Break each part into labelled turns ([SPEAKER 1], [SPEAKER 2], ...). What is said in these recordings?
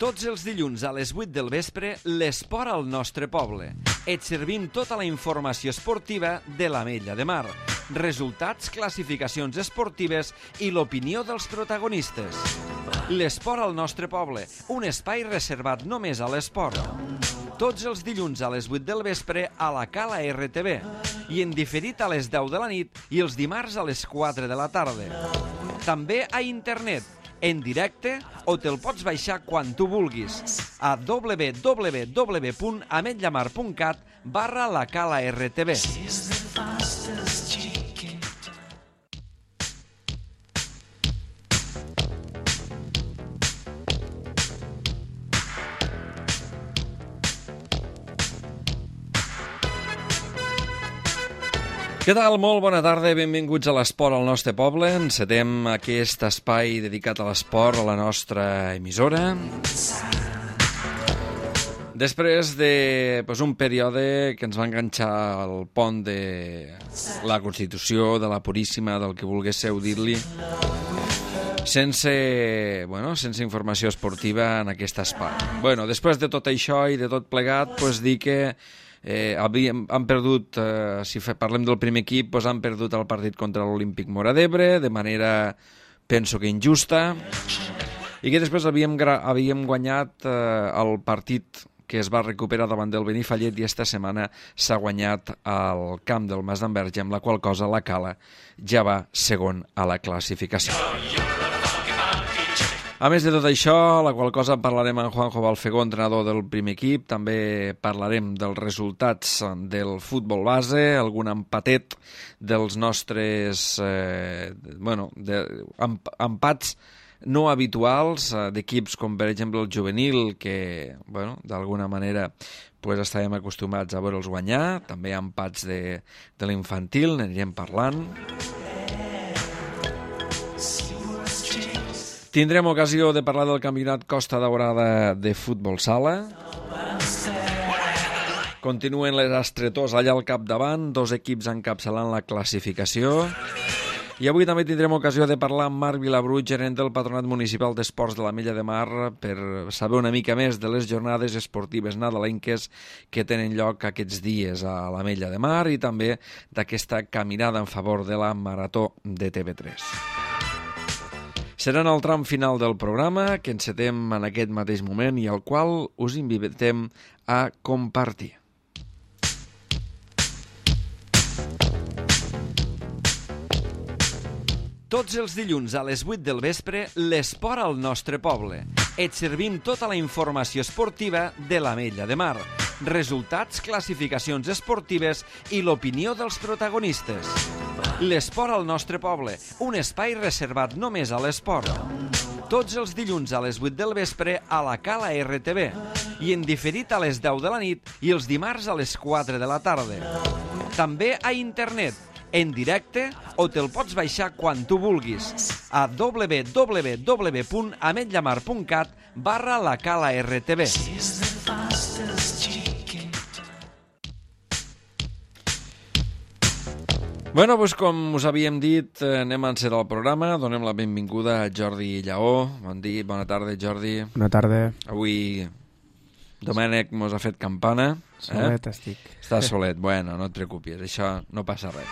[SPEAKER 1] Tots els dilluns a les 8 del vespre, l'esport al nostre poble. Et servim tota la informació esportiva de l'Ametlla de Mar. Resultats, classificacions esportives i l'opinió dels protagonistes. L'esport al nostre poble, un espai reservat només a l'esport. Tots els dilluns a les 8 del vespre a la Cala RTV i en diferit a les 10 de la nit i els dimarts a les 4 de la tarda. També a internet, en directe o te'l pots baixar quan tu vulguis a www.ametllamar.cat/la Cala RTV. Què tal? Molt bona tarda, benvinguts a l'Esport al nostre poble. Encetem aquest espai dedicat a l'esport a la nostra emissora. Després d'un període que ens va enganxar al pont de la Constitució, de la Puríssima, del que volguéssiu dir-li, sense informació esportiva en aquest espai. Després de tot això i de tot plegat, dir que han perdut, si parlem del primer equip, han perdut el partit contra l'Olímpic Móra d'Ebre de manera, penso que injusta, i que després havíem guanyat el partit que es va recuperar davant del Benifallet, i esta setmana s'ha guanyat al camp del Mas d'Enverge, amb la qual cosa la Cala ja va segon a la classificació. A més de tot això, la qual cosa parlarem amb Juanjo Balfegó, entrenador del primer equip. També parlarem dels resultats del futbol base, algun empatet dels nostres empats no habituals d'equips com, per exemple, el juvenil, que d'alguna manera estàvem acostumats a veure'ls guanyar. També empats de l'infantil, n'anirem parlant. Tindrem ocasió de parlar del campionat Costa Daurada de futbol sala. Continuen les estretors allà al capdavant, dos equips encapçalant la classificació. I avui també tindrem ocasió de parlar amb Marc Vilabru, gerent del Patronat Municipal d'Esports de l'Ametlla de Mar, per saber una mica més de les jornades esportives nadalenques que tenen lloc aquests dies a l'Ametlla de Mar i també d'aquesta caminada en favor de la Marató de TV3. Serà en el tram final del programa, que encetem en aquest mateix moment i al qual us invitem a compartir. Tots els dilluns a les 8 del vespre, l'esport al nostre poble. Et servim tota la informació esportiva de l'Ametlla de Mar. Resultats, classificacions esportives i l'opinió dels protagonistes. L'esport al nostre poble, un espai reservat només a l'esport. Tots els dilluns a les 8 del vespre a la Cala RTV i en diferit a les 10 de la nit i els dimarts a les 4 de la tarda. També a internet, en directe o te'l pots baixar quan tu vulguis a www.ametllamar.cat/la Cala RTV. Com us havíem dit, anem a encetar el programa. Donem la benvinguda a Jordi Lleó. Bona tarda, Jordi.
[SPEAKER 2] Bona tarda.
[SPEAKER 1] Avui Domènec mos ha fet campana.
[SPEAKER 2] Solet estic.
[SPEAKER 1] Estàs solet. No et preocupis, això no passa res.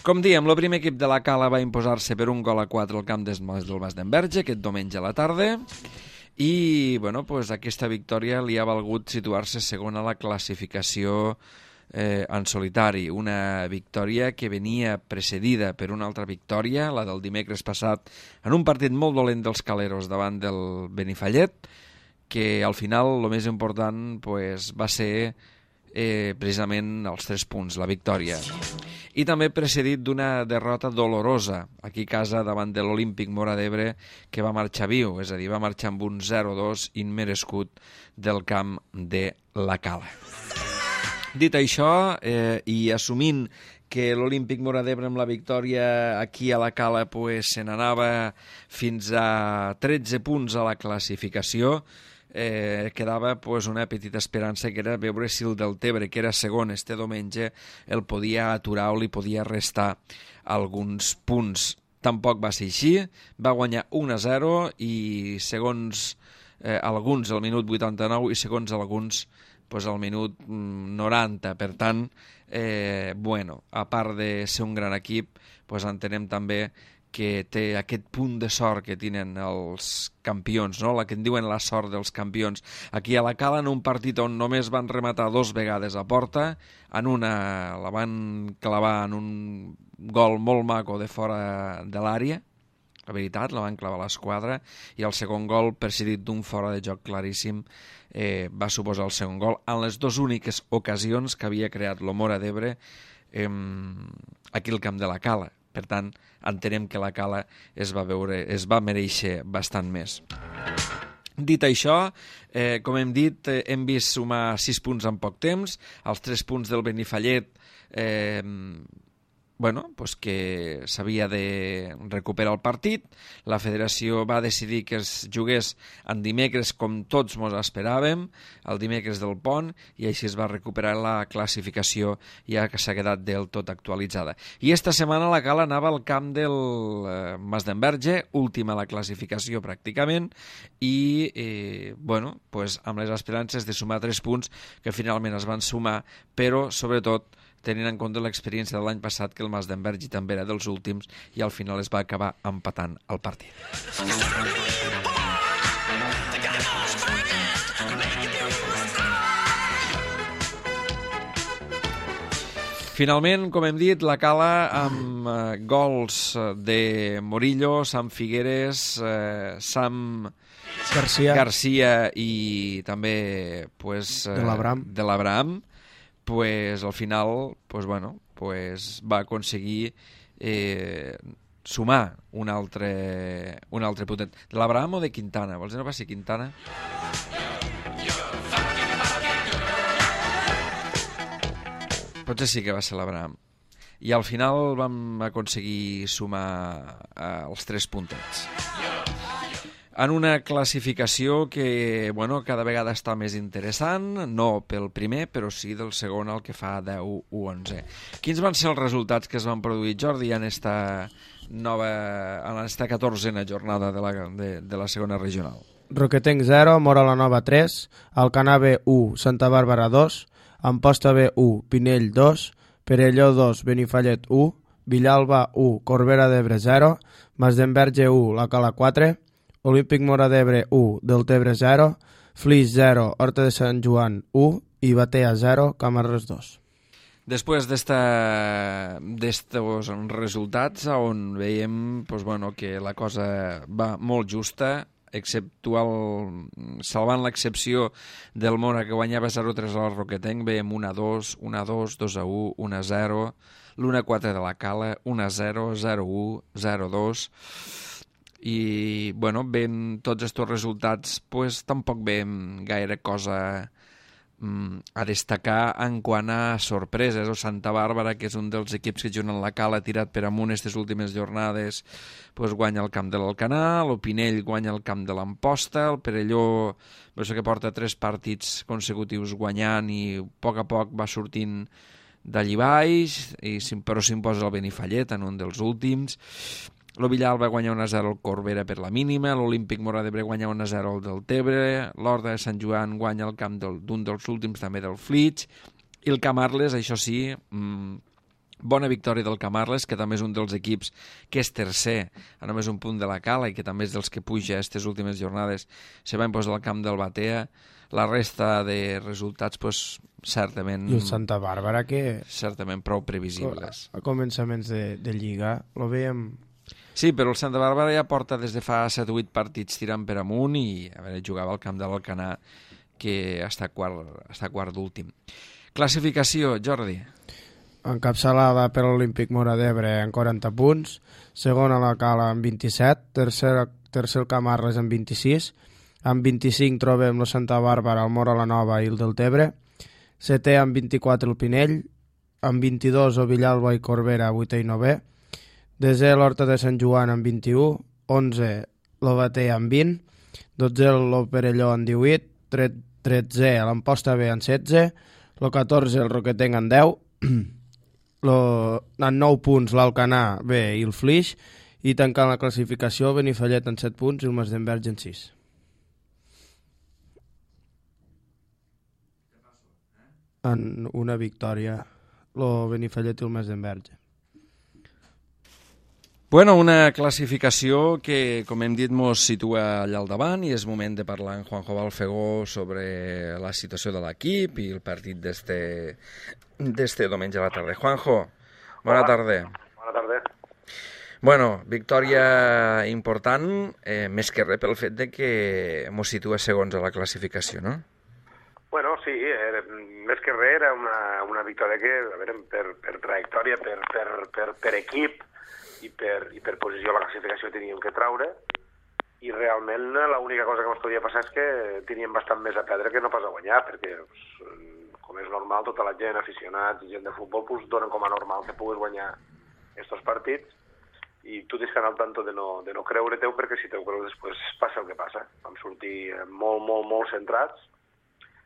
[SPEAKER 1] Com diem, el primer equip de la Cala va imposar-se per 1-4 al camp del Mas d'Enverge aquest diumenge a la tarda i aquesta victòria li ha valgut situar-se segon a la classificació en solitari. Una victòria que venia precedida per una altra victòria, la del dimecres passat, en un partit molt dolent dels caleros davant del Benifallet, que al final el més important va ser precisament els 3 punts, la victòria. I també precedit d'una derrota dolorosa aquí a casa davant de l'Olímpic Móra d'Ebre, que va marxar viu, és a dir, va marxar amb un 0-2 immerescut del camp de la Cala. Dit això, i assumint que l'Olímpic Móra d'Ebre amb la victòria aquí a la Cala se n'anava fins a 13 punts a la classificació, quedava una petita esperança, que era veure si el Deltebre, que era segon este diumenge, el podia aturar o li podia restar alguns punts. Tampoc va ser així, va guanyar 1-0 i segons alguns al minut 89 i segons alguns al minut 90. Per tant, a part de ser un gran equip, entenem també que té aquest punt de sort que tenen els campions, no? La que en diuen la sort dels campions. Aquí a la Cala, en un partit on només van rematar 2 vegades a porta, en una la van clavar en un gol molt maco de fora de l'àrea, la veritat, la van clavar a l'esquadra, i el segon gol, presidit d'un fora de joc claríssim, va suposar el segon gol en les 2 úniques ocasions que havia creat l'Omora d'Ebre aquí al camp de la Cala. Per tant, entenem que la Cala es va mereixer bastant més. Dit això, com hem dit, hem vist sumar 6 punts en poc temps, els 3 punts del Benifallet que s'havia de recuperar el partit. La federació va decidir que es jugués en dimecres, com tots mos esperàvem, el dimecres del pont, i així es va recuperar la classificació, ja que s'ha quedat del tot actualitzada. I esta setmana la Cala anava al camp del Masdenverge, última a la classificació pràcticament, i amb les esperances de sumar 3 punts que finalment es van sumar, però sobretot tenint en compte l'experiència de l'any passat, que el Masdenverge també era dels últims i al final es va acabar empatant el partit. Finalment, com hem dit, la Cala amb gols de Morillo, Sam Figueres, Sam Garcia i també de l'Abraham, al final va aconseguir sumar un altre potent. De l'Abraham o de Quintana? Vols dir no va ser Quintana? Potser sí que va ser l'Abraham. I al final vam aconseguir sumar els 3 puntets. En una classificació que cada vegada està més interessant, no pel primer, però sí del segon, el que fa 10 o 11. Quins van ser els resultats que es van produir, Jordi, en esta 14a jornada de la segona regional?
[SPEAKER 2] Roquetenc 0, Mora la Nova 3, Alcanar B 1, Santa Bàrbara 2, Amposta B 1, Pinell 2, Perelló 2, Benifallet 1, Villalba 1, Corbera d'Ebre 0, Masdenverge 1, la Cala 4, Olímpic Mora d'Ebre 1, Deltebre 0, Flix 0, Horta de Sant Joan 1 i Batea 0, Camarles 2.
[SPEAKER 1] Després d'estos resultats, on veiem que la cosa va molt justa, salvant l'excepció del Mora, que guanyava 0-3 al Roquetenc, veiem 1-2, 1-2, 2-1, 1-0, l'1-4 de la Cala, 1-0, 0-1, 0-2... i ben tots aquests resultats tampoc veiem gaire cosa a destacar en quant a sorpreses. O Santa Bàrbara, que és un dels equips que juguen la Cala, tirat per amunt aquestes últimes jornades, guanya el camp de l'Alcanar, el Pinell guanya el camp de l'Amposta, el Perelló que porta 3 partits consecutius guanyant i a poc va sortint d'allí baix, però s'imposa el Benifallet en un dels últims. El Villalba guanya 1-0 al Corbera per la mínima, l'Olímpic Mora d'Ebre guanya 1-0 al Deltebre, l'Horta de Sant Joan guanya el camp d'un dels últims també del Flix, i el Camarles, això sí, bona victòria del Camarles, que també és un dels equips que és tercer, a només un punt de la Cala, i que també és dels que puja aquestes últimes jornades, se va imposar al camp del Batea. La resta de resultats, certament...
[SPEAKER 2] I el Santa Bàrbara, que...
[SPEAKER 1] Certament prou previsibles.
[SPEAKER 2] A començaments de Lliga, lo veiem...
[SPEAKER 1] Sí, però el Santa Bàrbara ja porta des de fa 7 o 8 partits tirant per amunt i jugava al camp de l'Alcanar, que està quart d'últim. Classificació, Jordi.
[SPEAKER 2] Encapçalada per l'Olímpic Mora d'Ebre en 40 punts, segona la Cala amb 27, tercer el Camarles amb 26, amb 25 trobem la Santa Bàrbara, el Mora la Nova i el Deltebre, setè amb 24 el Pinell, amb 22 el Villalba i Corbera, 8è i 9è, desè l'Horta de Sant Joan amb 21, 11 l'Obatea amb 20, 12 el Perelló amb 18, 13 l'Amposta B amb 16, el 14 el Roquetenc amb 10, en 9 punts l'Alcanar B i el Flix, i tancant la classificació Benifallet amb 7 punts i el Masdenverge amb 6. en una victòria el Benifallet i el Mas d'Enverge.
[SPEAKER 1] Bueno, una classificació que, com hem dit, ens situa allà al davant i és moment de parlar amb Juanjo Balfegó sobre la situació de l'equip i el partit d'este diumenge a la tarda. Juanjo, bona tarda.
[SPEAKER 3] Bona tarda.
[SPEAKER 1] Bueno, victòria important, més que res pel fet de que ens situa segons a la classificació, no?
[SPEAKER 3] Bueno, sí, més que res era una victòria que, a veure, per trajectòria, per equip, i per posició a la classificació teníem que traure, i realment l'única cosa que ens podia passar és que teníem bastant més a perdre que no pas a guanyar, perquè com és normal, tota la gent, aficionats i gent de futbol, donen com a normal que puguis guanyar aquests partits, i tu tens que anar al tanto de no creure-teu, perquè si teu creus després passa el que passa. Vam sortir molt centrats,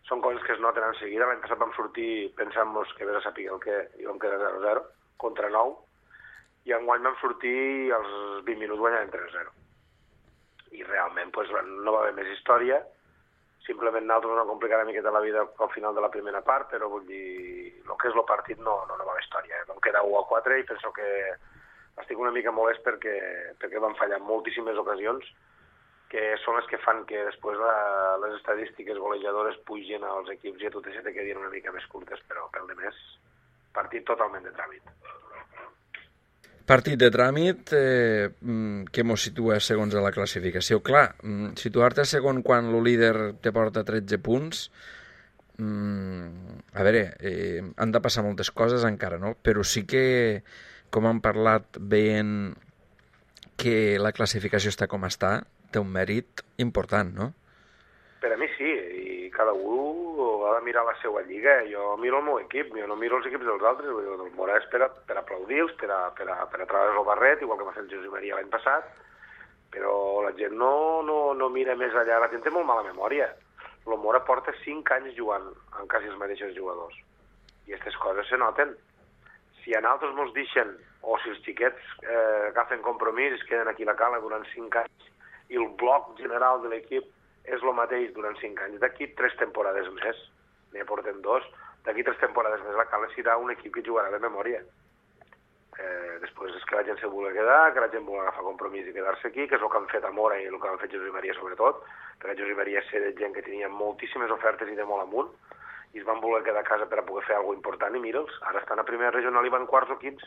[SPEAKER 3] són coses que es noten en seguida. L'any passat vam sortir pensant-nos que vés a saber el que i vam quedar 0-0 contra 9, i enguany vam sortir als 20 minuts guanyant 3-0. I realment no va haver més història, simplement nosaltres ens vam complicar una miqueta la vida al final de la primera part, però vull dir, el que és el partit no va haver història. Vam quedar 1-4 i penso que estic una mica molest perquè van fallar moltíssimes ocasions, que són les que fan que després les estadístiques golejadores pugen als equips i a tot això te quedin una mica més curtes, però pel de més, partit totalment de tràmit.
[SPEAKER 1] Partit de tràmit que ens situa segons a la classificació. Clar, situar-te segon quan el líder te porta 13 punts, a veure, han de passar moltes coses encara, no? Però sí que, com hem parlat, veient que la classificació està com està, té un mèrit important, no?
[SPEAKER 3] Per a mi sí, i cada un ha de mirar la seva lliga. Jo miro el meu equip, jo no miro els equips dels altres. El Mora és per aplaudir-los, per a treure el barret, igual que va fer el Josep Maria l'any passat, però la gent no mira més allà. La gent té molt mala memòria. El Mora porta 5 anys jugant amb quasi els mateixos jugadors, i aquestes coses se noten. Si a nosaltres ens deixen, o si els xiquets agafen compromís, es queden aquí a la cala durant 5 anys, i el bloc general de l'equip és el mateix durant 5 anys. D'aquí 3 temporades més, n'hi portem 2, d'aquí 3 temporades més la Cala serà un equip que jugarà de memòria. Després és que la gent se vulgui quedar, que la gent vulgui agafar compromís i quedar-se aquí, que és el que han fet a Mora i el que han fet Josep Maria sobretot, perquè Josep Maria és de gent que tenia moltíssimes ofertes i de molt amunt, i es van voler quedar a casa per a poder fer alguna cosa important, i mira'ls, ara estan a primera regional i van quarts o quints.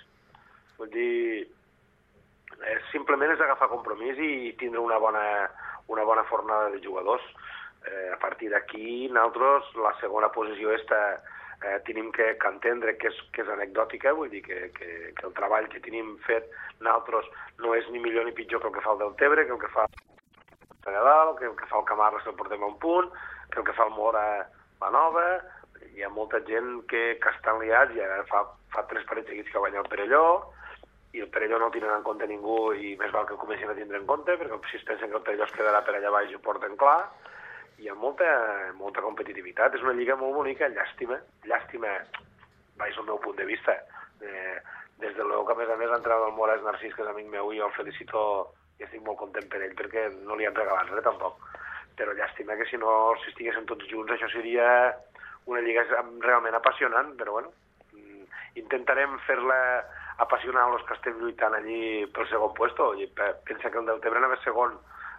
[SPEAKER 3] Vull dir, simplement és agafar compromís i tindre una bona fornada de jugadors. A partir d'aquí, nosaltres, la segona posició tenim que entendre que és anecdòtica, vull dir que el treball que tenim fet nosaltres no és ni millor ni pitjor que el que fa el Deltebre, que el que fa el Nadal, que el que fa el Camarles el portem a un punt, que el que fa el Mora la Nova. Hi ha molta gent que estan liats, i ara fa 3 partits seguits que guanya el Perelló, i el Perelló no el tenen en compte ningú, i més val que ho comencin a tindre en compte, perquè si es pensen que el Perelló es quedarà per allà baix ho porten clar. Hi ha molta competitivitat, és una lliga molt bonica, llàstima, vaig al meu punt de vista. Des de l'Eu que a més l'entrada del Mora és Narcís, que és amic meu, i jo el felicito i estic molt content per ell, perquè no li han regalat res tampoc. Però llàstima que si estiguessin tots junts això seria una lliga realment apassionant, però bueno, intentarem fer-la apassionar els que estem lluitant allí pel segon puesto. Pensa que el Deltebre anava segon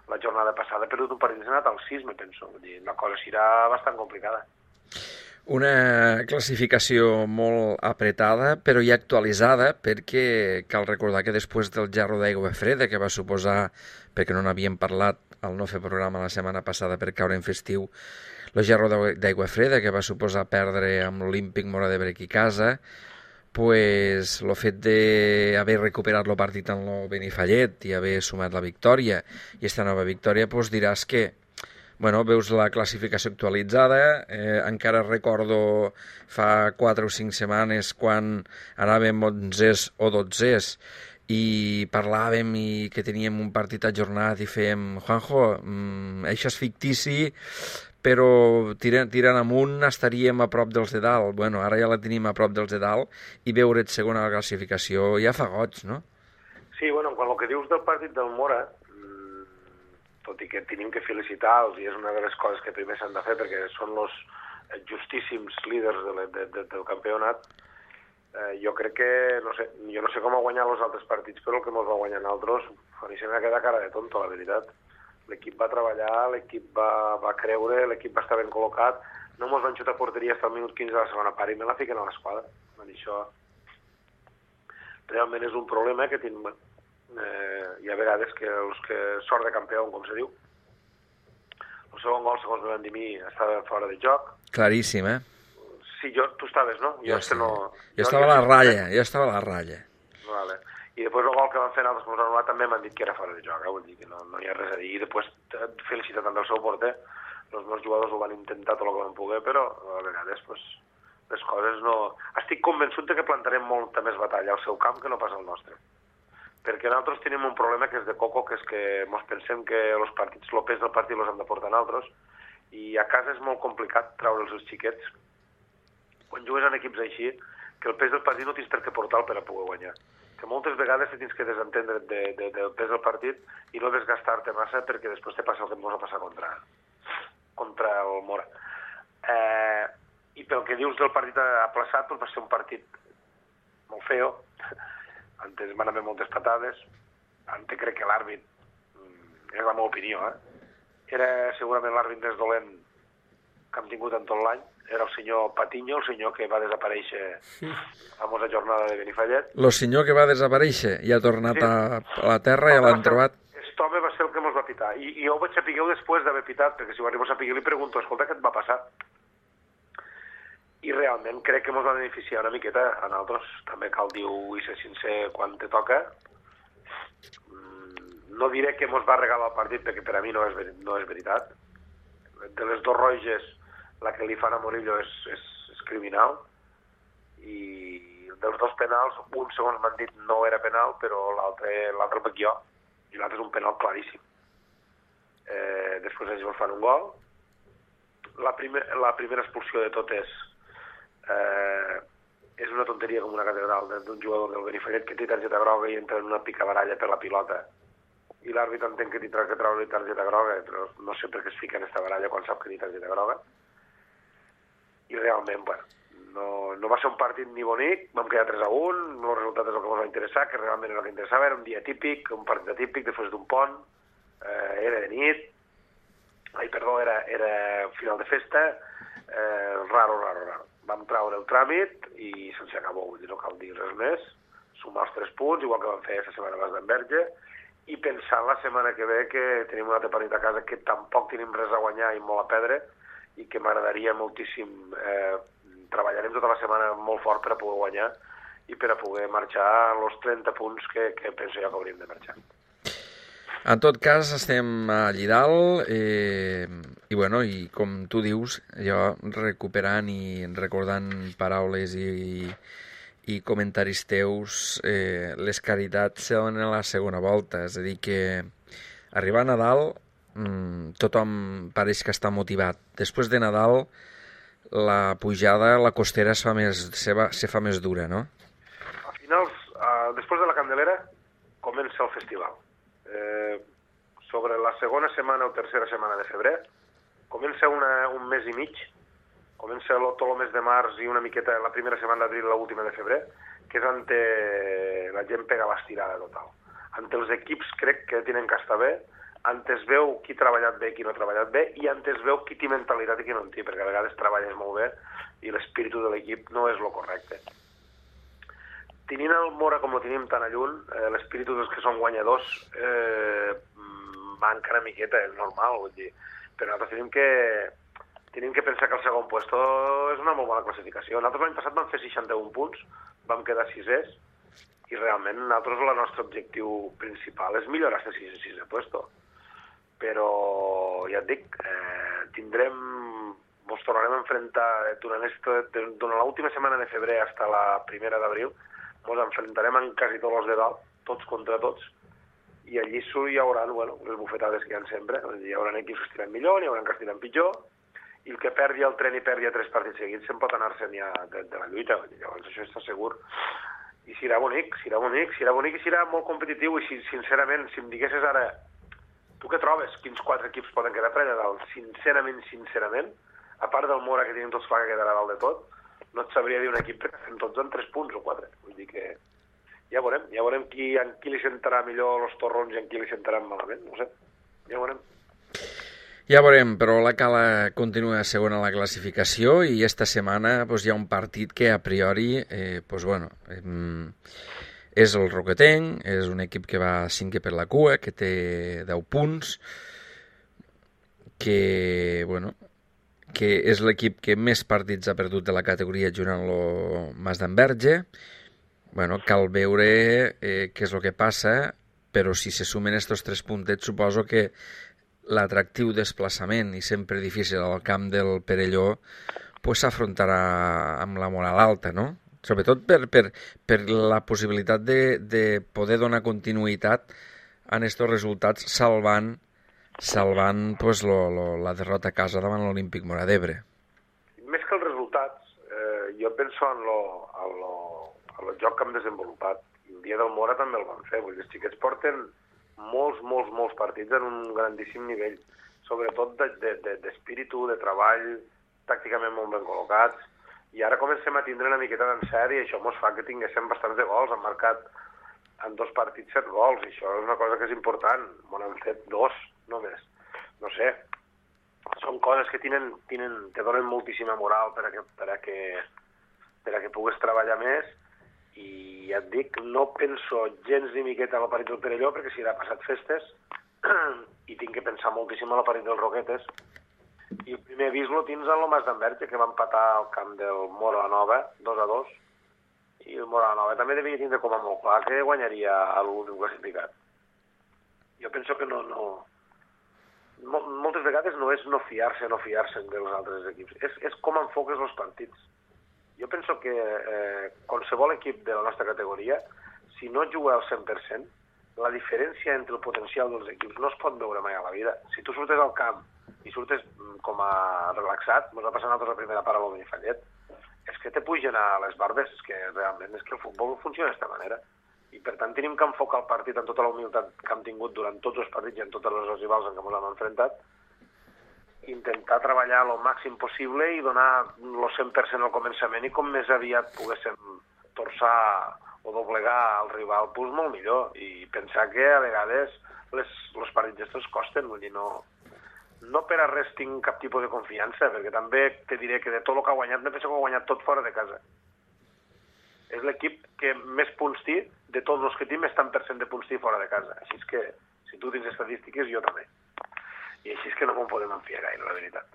[SPEAKER 3] la jornada passada, però un partit s'ha anat al 6, me penso. La cosa serà bastant complicada.
[SPEAKER 1] Una classificació molt apretada, però ja actualitzada, perquè cal recordar que després del gerro d'aigua freda, que va suposar, perquè no n'havíem parlat al no fer programa la setmana passada per caure en festiu, el gerro d'aigua freda, que va suposar perdre amb l'Olímpic Mora d'Ebre aquí a casa, pues el fet d'haver recuperat el partit en el Benifallet i haver sumat la victòria i aquesta nova victòria, pues diràs que veus la classificació actualitzada. Encara recordo fa 4 o 5 setmanes quan anàvem 11ès o 12ès i parlàvem i que teníem un partit ajornat i fèiem Juanjo, això és fictici, però tirant amunt estaríem a prop dels de dalt. Bueno, ara ja la tenim a prop dels de dalt i veure't segona a la classificació ja fa goig, no?
[SPEAKER 3] Sí, bueno, quan el que dius del partit del Mora, tot i que tenim que felicitar-los, i és una de les coses que primer s'han de fer, perquè són justíssims líders del campionat, jo crec que, jo no sé com ha guanyat els altres partits, però el que ens va guanyar nosaltres, a mi se m'ha quedat cara de tonto, la veritat. L'equip va treballar, l'equip va creure, l'equip va estar ben col·locat, no ens van xutar a porteria fins al minut 15 de la segona part i me la fiquen a l'esquadra. Això realment és un problema que tenim. Hi ha vegades que els que sort de campió, com se diu, el segon gol, segons me van dir a mi, estava fora de joc.
[SPEAKER 1] Claríssim, eh?
[SPEAKER 3] Sí, tu estaves, no?
[SPEAKER 1] Jo estava a la ratlla,
[SPEAKER 3] Vale. I després el gol que van fer nosaltres com anul·lat també m'han dit que era fora de joc, vull dir que no hi ha res a dir. I després felicitat també el seu porter, els meus jugadors ho van intentar tot el que van poder, però a vegades les coses no... Estic convençut que plantarem molta més batalla al seu camp que no pas al nostre. Perquè nosaltres tenim un problema que és de coco, que és que ens pensem que els partits, el pes del partit els hem de portar nosaltres, i a casa és molt complicat treure'ls els xiquets quan jugues en equips així, que el pes del partit no tens per què portar per a poder guanyar. Que moltes vegades te tens que desentendre del pes del partit i no desgastar-te massa perquè després te passa el que ens va passar contra el Mora. I pel que dius del partit aplaçat, doncs va ser un partit molt feo. Antes van haver moltes patades. Antes crec que l'àrbit, és la meva opinió, era segurament l'àrbit més dolent que hem tingut en tot l'any. Era el senyor Patiño, el senyor que va desaparèixer a la famosa jornada de Benifallet.
[SPEAKER 1] El senyor que va desaparèixer i ha tornat a la terra i l'han trobat.
[SPEAKER 3] Aquest home va ser el que ens va pitar. I jo ho vaig saber després d'haver pitat, perquè si ho arribo a saber li pregunto, escolta, què et va passar? I realment crec que ens va beneficiar una miqueta a nosaltres. També cal dir i ser sincer quan te toca. No diré que ens va regalar el partit, perquè per a mi no és veritat. De les dos roges, la que li fan a Murillo és criminal, i dels dos penals, un segons m'han dit no era penal, però l'altre el veig jo, i l'altre és un penal claríssim. Després ells fan un gol. La primera expulsió de totes és una tonteria com una catedral d'un jugador del Benifallet que té targeta groga i entra en una picabaralla per la pilota, i l'àrbit entén que tindrà que treure targeta groga, però no sé per què es fica en aquesta baralla quan sap que té targeta groga. I realment, no va ser un partit ni bonic, vam quedar 3-1, el resultat és el que ens va interessar, que realment era el que interessava, era un dia típic, un partit atípic, després d'un pont, era de nit, era final de festa, raro. Vam treure el tràmit i se'ns acabó, vull dir, no cal dir res més, sumar els 3 punts, igual que vam fer aquesta setmana a Mas d'Enverge, i pensar la setmana que ve que tenim un altre partit a casa que tampoc tenim res a guanyar i molt a perdre, i que m'agradaria moltíssim. Treballarem tota la setmana molt fort per a poder guanyar i per a poder marxar els 30 punts que penso jo que hauríem de marxar.
[SPEAKER 1] En tot cas, estem allí dalt i com tu dius, jo recuperant i recordant paraules i comentaris teus, les caritats se donen a la segona volta, és a dir que arribar a Nadal tothom pareix que està motivat. Després de Nadal la pujada, la costera se fa més dura, no?
[SPEAKER 3] A finals, després de la Candelera, comença el festival. Sobre la segona setmana o tercera setmana de febrer, comença un mes i mig, comença tot el mes de març i una miqueta la primera setmana d'abril i l'última de febrer, que és on la gent pega l'estirada total. Ante els equips crec que tenen que estar bé, ante es veu qui ha treballat bé i qui no ha treballat bé, i ante es veu qui té mentalitat i qui no en té, perquè a vegades treballes molt bé i l'espíritu de l'equip no és el correcte. Tenint el Mora com el tenim tan a lluny, l'espíritu dels que són guanyadors manca una miqueta, és normal, vull dir. Però nosaltres tenim que pensar que el segon puesto és una molt bona classificació. Nosaltres l'any passat vam fer 61 punts, vam quedar 6è, i realment nosaltres el nostre objectiu principal és millorar aquest 6è puesto. Però, ja et dic, ens tornarem a enfrontar durant l'última setmana de febrer fins a la primera d'abril, ens enfrontarem en quasi tots els de dalt, tots contra tots, i allí hi haurà les bufetades que hi ha sempre. Hi haurà equips que estiran millor, hi haurà que estiran pitjor, i el que perdi el tren i perdi 3 partits seguits se'n pot anar-se'n ja de la lluita. Llavors això està segur. I serà bonic i serà molt competitiu. I sincerament, si em diguessis ara, tu què trobes? Quins 4 equips poden quedar per allà dalt? Sincerament, a part del Mora, que tenim tots clar que quedarà dalt de tot, no et sabria dir un equip que fem tots en 3 punts o 4. Vull dir que ja veurem en qui li sentarà millor els torrons i en qui li sentaran malament, no sé, ja veurem.
[SPEAKER 1] Ja veurem, però la Cala continua segona a la classificació i esta setmana hi ha un partit que a priori és el Roquetenc, és un equip que va 5è per la cua, que té 10 punts, que és l'equip que més partits ha perdut de la categoria junt amb el Mas d'Enverge. Cal veure què és el que passa, però si se sumen estos 3 puntets suposo que l'atractiu desplaçament i sempre difícil al camp del Perelló s'afrontarà amb la moral alta, no? Sobretot per la possibilitat de poder donar continuïtat a estos resultats salvant la derrota a casa davant l'Olímpic Móra d'Ebre.
[SPEAKER 3] Més que els resultats, jo penso en el joc que hem desenvolupat. El dia del Mora també el vam fer. Vull dir, els xiquets porten molts partits en un grandíssim nivell, sobretot d'espíritu, de treball, tàcticament molt ben col·locats, i ara comencem a tindre una miqueta d'encert i això ens fa que tinguéssim bastants de gols. Han marcat en 2 partits 7 gols, i això és una cosa que és important. Han fet 2 només. No sé, són coses que te donen moltíssima moral per a que pugues treballar més, i ja et dic, no penso gens ni miqueta a la parit del Perelló, perquè si ha passat festes, i tinc que pensar moltíssim a la parit dels Roquetes, i el primer avís lo tens en el Mas d'Enverge, que va empatar al camp del Móra Nova 2-2, i el Móra Nova també devia tindre com a molt clar que guanyaria l'últim classificat. Jo penso que moltes vegades no és no fiar-se dels altres equips, és com enfoques els partits. Jo penso que qualsevol equip de la nostra categoria, si no juga al 100%, la diferència entre el potencial dels equips no es pot veure mai a la vida. Si tu surtes al camp i surtes com a relaxat, ens va passar a nosaltres la primera part a Benifallet, és que te pugen a les barbes, és que realment és que el futbol funciona d'aquesta manera. I per tant tenim que enfocar el partit amb tota la humilitat que hem tingut durant tots els partits i en totes les rivals en què ens hem enfrontat, intentar treballar el màxim possible i donar el 100% al començament, i com més aviat poguéssim torçar o doblegar el rival, molt millor. I pensar que a vegades els partits estos costen, vull dir, no per a res tinc cap tipus de confiança, perquè també te diré que de tot el que ha guanyat, no penso que ha guanyat tot fora de casa. És l'equip que més punts té, de tots els que té, més tant % de punts té fora de casa. Així és que, si tu tens estadístiques, jo també. I així és que no m'ho podem enfiar gaire, la veritat.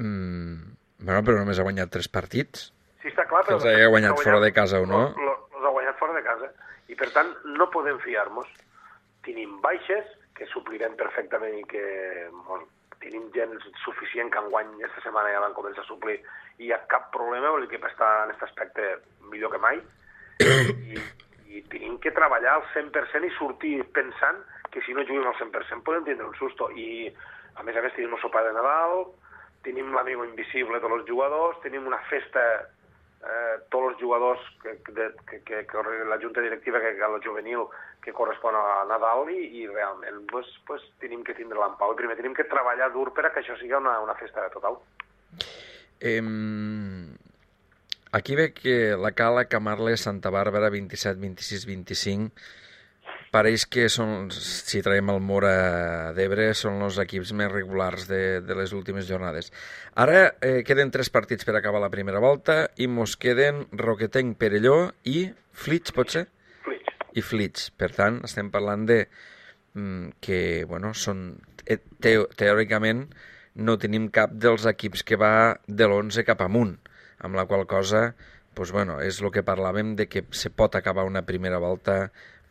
[SPEAKER 1] Però només ha guanyat 3 partits.
[SPEAKER 3] Sí, està clar, però...
[SPEAKER 1] Els ha guanyat fora de casa o no?
[SPEAKER 3] Els ha guanyat fora de casa. I, per tant, no podem fiar-nos. Tenim baixes, que suplirem perfectament, i que tenim gent suficient que enguany aquesta setmana ja van començar a suplir, i hi ha cap problema, vol dir que està en aquest aspecte millor que mai. I tenim que treballar al 100% i sortir pensant que si no juguem al 100% podem tindre un susto. I, a més, tenim el sopar de Nadal, tenim l'amigo invisible de tots els jugadors, tenim una festa, tots els jugadors que la junta directiva, que el juvenil, que correspon a Nadal, i realment tenim que tindre l'empau. I primer tenim que treballar dur per a que això sigui una festa total.
[SPEAKER 1] Aquí ve que la Cala, Camarles, Santa Bàrbara, 27, 26, 25... pareix que són, si traiem el Móra d'Ebre, són els equips més regulars de les últimes jornades. Ara queden 3 partits per acabar la primera volta i mos queden Roquetenc, Perelló i Flix, pot ser?
[SPEAKER 3] Flix.
[SPEAKER 1] I Flix. Per tant, estem parlant de que, són teòricament no tenim cap dels equips que va de l'11 cap amunt, amb la qual cosa, és el que parlàvem de que se pot acabar una primera volta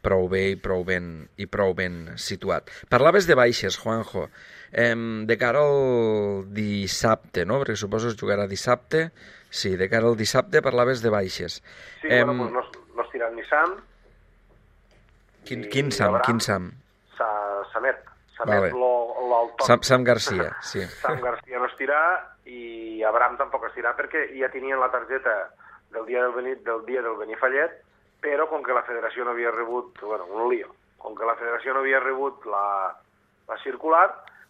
[SPEAKER 1] prou bé i prou ben situat. Parlaves de baixes, Juanjo. De cara al dissabte, no? Perquè suposo es jugarà dissabte. Sí, de cara al dissabte parlaves de baixes.
[SPEAKER 3] Sí, no es tirat ni Sam.
[SPEAKER 1] Quin Sam?
[SPEAKER 3] Samet.
[SPEAKER 1] Vale. Sam Garcia, sí.
[SPEAKER 3] Sam Garcia no es tirà, i Abraham tampoc es tirà, perquè ja tenien la targeta del dia del Benifallet, però com que la federació no havia rebut, un lío, com que la federació no havia rebut la circular,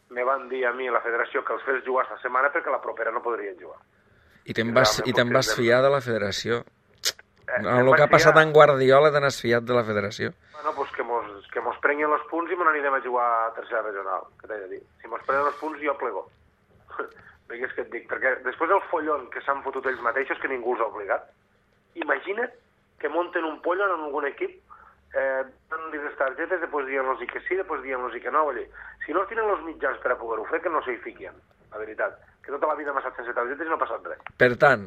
[SPEAKER 3] me van dir a mi la federació que els fes jugar esta setmana perquè la propera no podrien jugar.
[SPEAKER 1] I te'n vas fiar de la federació. El que ha passat en Guardiola te n'has fiat de la federació.
[SPEAKER 3] Bueno, pues que mos prenguin els punts i me n'anirem a jugar a tercera regional, que t'he de dir. Si mos prenen els punts jo plego. Perquè és que et dic, perquè després del follon que s'han fotut ells mateixos, que ningú els ha obligat, imagina't que munten un pollon en algun equip, donen-li les targetes, després dient-los que sí, després dient-los que no. Vull dir, si no tenen els mitjans per a poder-ho fer, que no s'hi fiquin, la veritat. Que tota la vida m'ha estat sense targetes i no ha passat res.
[SPEAKER 1] Per tant,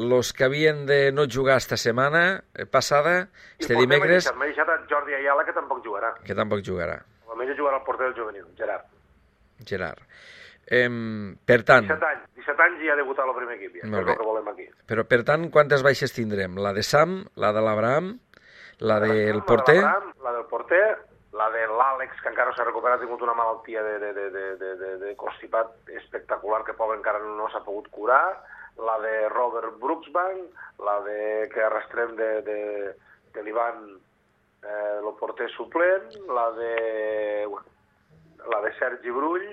[SPEAKER 1] los que havien de no jugar esta setmana passada, este dimecres...
[SPEAKER 3] M'ha deixat a Jordi Ayala, que tampoc jugarà.
[SPEAKER 1] Que tampoc jugarà.
[SPEAKER 3] Almenys jugarà el porter del juvenil, Gerard.
[SPEAKER 1] Per tant...
[SPEAKER 3] 17 anys i ja ha debutat al primer equip, ja. És el que volem aquí.
[SPEAKER 1] Però, per tant, quantes baixes tindrem? La de Sam, la de l'Abraham, la del porter...
[SPEAKER 3] La del porter, la de l'Àlex, que encara s'ha recuperat, ha tingut una malaltia de constipat espectacular, que pobre encara no s'ha pogut curar, la de Robert Brooksbank, la de que arrastrem de l'Ivan, el porter suplent, la de Sergi Brull,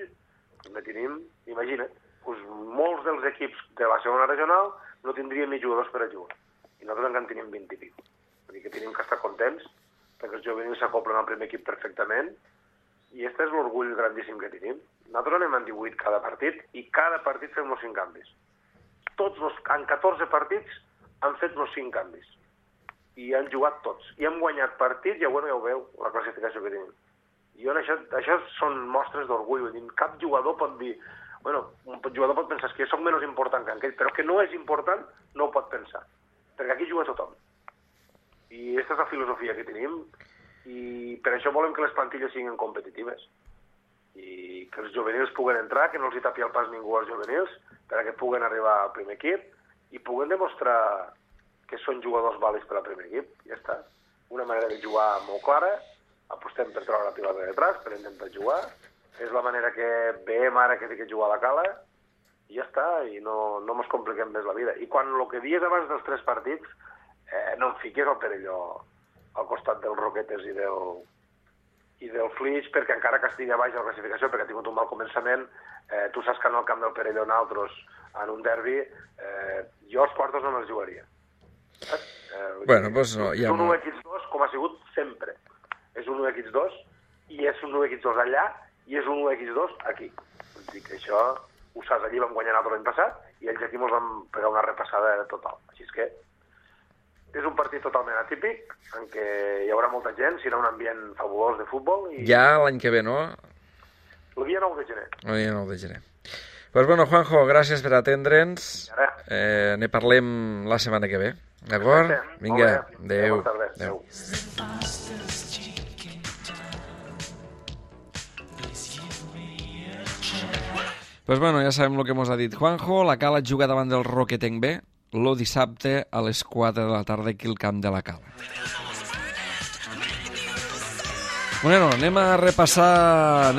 [SPEAKER 3] ne tenim, imagina't, doncs molts dels equips de la segona regional no tindrien ni jugadors per a jugar, i nosaltres encara en tenim 20 i pico. Vull dir que tenim que estar contents, perquè els juvenils s'acoplen al primer equip perfectament, i aquest és l'orgull grandíssim que tenim. Nosaltres anem en 18 cada partit, i cada partit fem els 5 canvis. En 14 partits han fet els 5 canvis, i han jugat tots, i han guanyat partits, ja ho veu, la classificació que tenim. I això són mostres d'orgull, vull dir, cap jugador pot dir, bueno, un jugador pot pensar que jo soc menys important que aquell, però que no és important no ho pot pensar, perquè aquí juga tothom. I aquesta és la filosofia que tenim, i per això volem que les plantilles siguin competitives, i que els juvenils puguen entrar, que no els hi tapi el pas ningú als juvenils, perquè puguen arribar al primer equip, i puguen demostrar que són jugadors vàlids per al primer equip, ja està. Una manera de jugar molt clara, apostem per treure la pilota de detrás, per intentar jugar, és la manera que veiem ara que té que jugar a la cala, i ja està, i no ens compliquem més la vida. I quan el que dies abans dels 3 partits, no em fiquis el Perelló al costat dels Roquetes i del Flix, perquè encara que estigui a baix de la classificació, perquè ha tingut un mal començament, tu saps que en el camp del Perelló nosaltres, en un derbi, jo els quartos no me'ls jugaria.
[SPEAKER 1] Bueno, doncs no,
[SPEAKER 3] ja no. És un 1-2, com ha sigut sempre. És un 1-2, i és un 1-2 allà, i és un 1-2 aquí. Vull dir que això, ho saps, allí vam guanyar l'altre l'any passat, i ells aquí ens vam pegar una repassada total. Així és que és un partit totalment atípic, en què hi haurà molta gent, serà un ambient fabulós de futbol.
[SPEAKER 1] Ja l'any que ve, no?
[SPEAKER 3] El dia 9 de gener.
[SPEAKER 1] El dia 9 de gener. Pues bueno, Juanjo, gràcies per atendre'ns. Ne parlem la setmana que ve. D'acord? Vinga, adéu. Adéu. Pues bueno, ja sabem el que mos ha dit Juanjo. La Cala juga davant del Roquetenc B el dissabte a les 4 de la tarda aquí al camp de la Cala. Bueno, anem a repassar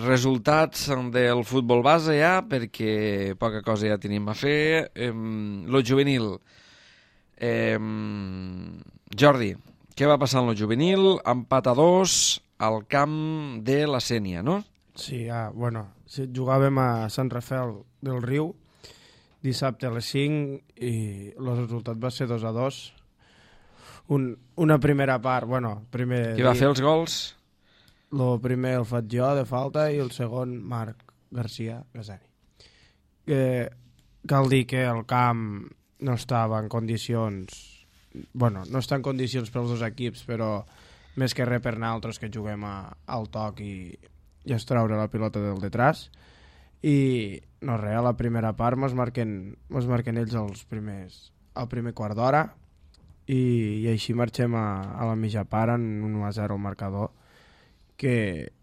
[SPEAKER 1] resultats del futbol base ja, perquè poca cosa ja tenim a fer. Lo juvenil. Jordi, què va passar en lo juvenil? Empat a 2 al camp de la Sénia, no?
[SPEAKER 2] Sí, bueno, jugàvem a Sant Rafel del Riu dissabte a les 5 i el resultat va ser 2-2. Una primera part, bueno...
[SPEAKER 1] Qui va fer els gols?
[SPEAKER 2] El primer el faig jo, de falta, i el segon Marc García Gasani. Cal dir que el camp no estava en condicions... Bueno, no està en condicions pels dos equips, però més que res per nosaltres que juguem al toc i es traure la pilota del detrás. I no res, a la primera part mos marquen ells al primer quart d'hora i així marxem a la mitja part en 1-0 al marcador, que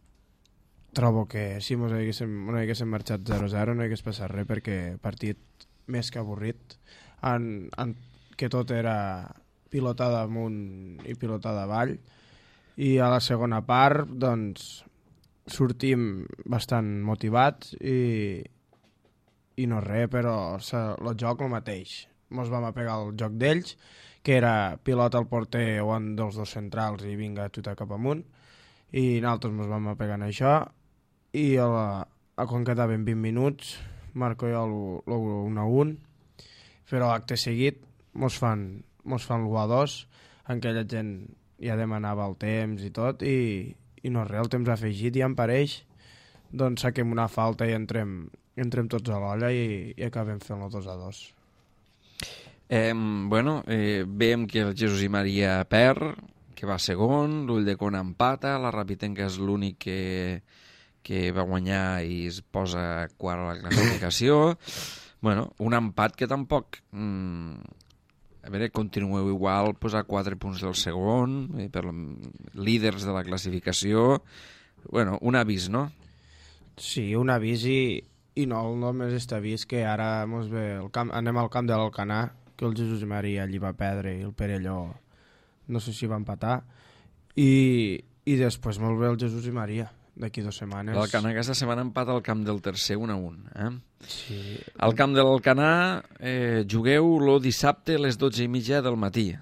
[SPEAKER 2] trobo que si no haguéssim marxat 0-0 no hagués passat res, perquè partit més que avorrit, que tot era pilotada amunt i pilotada avall, i a la segona part doncs sortim bastant motivats i no res, però el joc el mateix. Ens vam apegar al joc d'ells, que era pilota al porter o un dels dos centrals i vinga a xutar cap amunt, i nosaltres ens vam apegar en això, i quan quedaven 20 minuts marco jo l'1-1, però acte seguit mos fan l'1-2, en què la gent ja demanava el temps i tot, i no res, el temps afegit, i em pareix, doncs saquem una falta i entrem tots a l'olla i acabem fent el 2-2.
[SPEAKER 1] Veiem que el Jesús i Maria perd, que va segon, l'Ulldecona empata, la Rapitenca és l'únic que va guanyar i es posa quart a la classificació. Un empat que tampoc... A veure, continueu igual, posar 4 punts del segon, per líders de la classificació. Un avís, no?
[SPEAKER 2] Sí, un avís i no només està avís que ara anem al camp de l'Alcanar, que el Jesús i Maria allí va perdre i el Perelló no sé si va empatar, i després molt bé el Jesús i Maria d'aquí 2 setmanes.
[SPEAKER 1] L'Alcanar aquesta setmana empata al camp del tercer 1-1.
[SPEAKER 2] Sí.
[SPEAKER 1] Al camp de l'Alcanar jugueu el dissabte a les 12:30 del matí.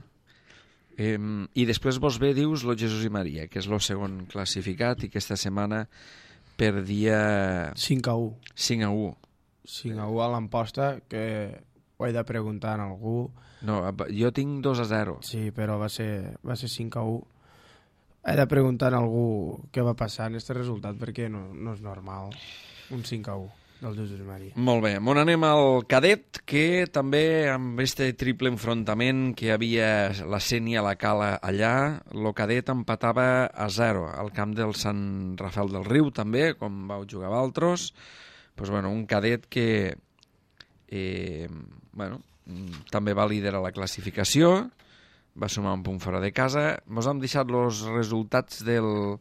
[SPEAKER 1] I després vos ve, dius, el Jesús i Maria, que és el segon classificat, i aquesta setmana perdia
[SPEAKER 2] 5-1.
[SPEAKER 1] 5-1.
[SPEAKER 2] 5-1 a l'Amposta, que ho he de preguntar a algú.
[SPEAKER 1] No, jo tinc 2-0.
[SPEAKER 2] Sí, però va ser 5-1. He de preguntar a algú què va passar en aquest resultat, perquè no és normal. Un 5-1 del Jesús i Maria.
[SPEAKER 1] Molt bé. Anem al cadet, que també amb este triple enfrontament que hi havia la Sénia, la Cala allà, el cadet empatava a 0 al camp del Sant Rafel del Riu, també, com vau jugar vosaltres. Un cadet que també va liderar la classificació, va sumar un punt fora de casa. Ens hem deixat els resultats del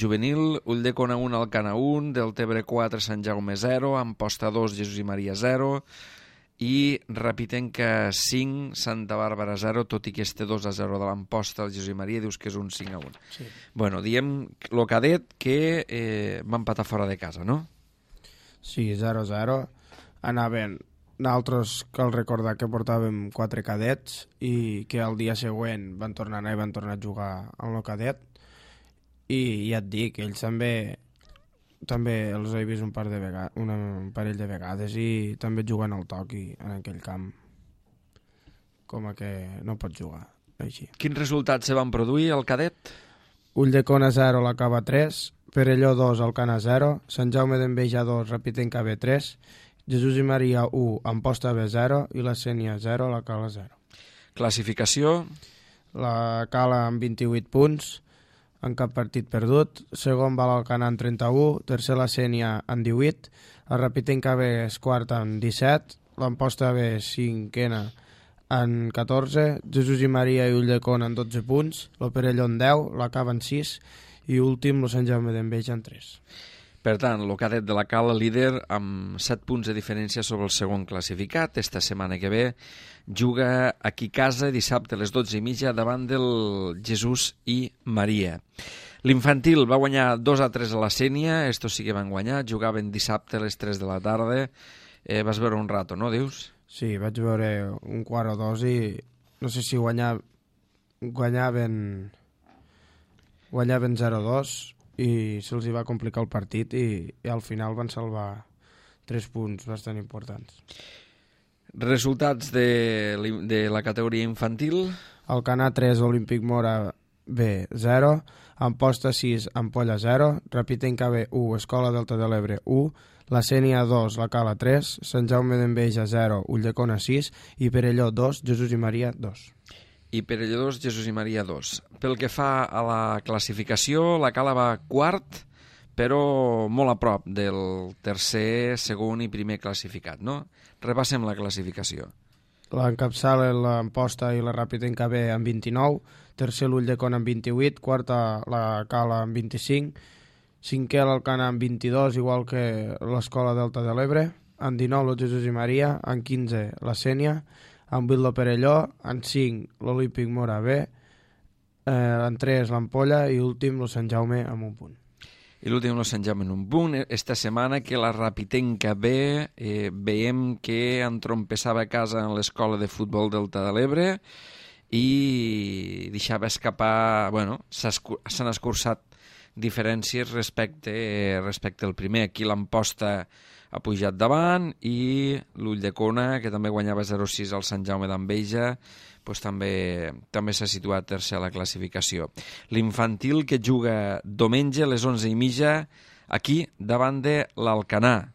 [SPEAKER 1] juvenil: Ulldecona 1, Alcanar 1, Deltebre 4, Sant Jaume 0, Amposta 2, Jesús i Maria 0, i Rapitenca 5, Santa Bàrbara 0, tot i que este 2-0 de l'Amposta, el Jesús i Maria, dius que és un 5-1.
[SPEAKER 2] Sí.
[SPEAKER 1] Diem el cadet que va empatar fora de casa, no?
[SPEAKER 2] Sí, 0-0. Anaven... Nosaltres cal recordar que portàvem 4 cadets i que el dia següent van tornar a anar i van tornar a jugar amb el cadet, i ja et dic, ells també els he vist un parell de vegades i també juguen al toc en aquell camp, com a que no pot jugar així.
[SPEAKER 1] Quins resultats se van produir al cadet?
[SPEAKER 2] Ulldecona 0, la Cava 3, Perelló 2, Alcanar 0, Sant Jaume d'Enveja 2, Rapitenca B 3, Jesús i Maria 1, Amposta B 0 i la Sénia 0, la Cala 0.
[SPEAKER 1] Classificació?
[SPEAKER 2] La Cala amb 28 punts, en cap partit perdut. Segon va l'Alcanar amb 31, tercer la Sénia amb 18, la Rapitenca B és quarta amb 17, l'Amposta B cinquena amb 14, Jesús i Maria i Ulldecona amb 12 punts, el Perelló amb 10, la Cava amb 6 i últim el Sant Jaume d'Enveja amb 3.
[SPEAKER 1] Per tant, el cadet de la Cala, líder, amb 7 punts de diferència sobre el segon classificat. Esta setmana que ve juga aquí a casa dissabte a les 12:30 davant del Jesús i Maria. L'infantil va guanyar 2-3 a la Sénia, estos sí que van guanyar, jugaven dissabte a les 3 de la tarda. Vas veure un rato, no, dius?
[SPEAKER 2] Sí, vaig veure un quart o dos i no sé si guanyaven 0-2, i se'ls va complicar el partit i al final van salvar 3 punts bastant importants.
[SPEAKER 1] Resultats de la categoria infantil?
[SPEAKER 2] Alcanar 3, Olímpic Mora B 0, Amposta 6, Ampolla 0, Rapitenca B 1, Escola Delta de l'Ebre 1, la Sénia 2, la Cala 3, Sant Jaume d'Enveja 0, Ulldecona 6 i Perelló 2, Jesús i Maria 2.
[SPEAKER 1] I Perelló 2, Jesús i Maria 2. Pel que fa a la classificació, la Cala va quart, però molt a prop del tercer, segon i primer classificat, no? Repassem la classificació.
[SPEAKER 2] L'encapçala l'Amposta i la Rapitenca B amb 29, tercer l'Ulldecona amb 28, quarta la Cala amb 25, cinquè l'Alcanar amb 22, igual que l'Escola Delta de l'Ebre, amb 19 el Jesús i Maria, amb 15 la Sénia, amb 8 el Perelló, amb 5 l'Olímpic Mora B, amb 3 l'Ampolla i últim el Sant Jaume amb un punt.
[SPEAKER 1] I l'últim el Sant Jaume amb un punt. Esta setmana que la Rapitenca B veiem que entrompessava a casa en l'escola de futbol Delta de l'Ebre i deixava escapar, s'han escurçat diferències respecte al primer. Aquí l'Amposta ha pujat davant i l'Ulldecona, que també guanyava 0-6 al Sant Jaume d'Enveja, pues també s'ha situat tercer a la classificació. L'Infantil, que juga diumenge a les 11:30 aquí davant de l'Alcanar.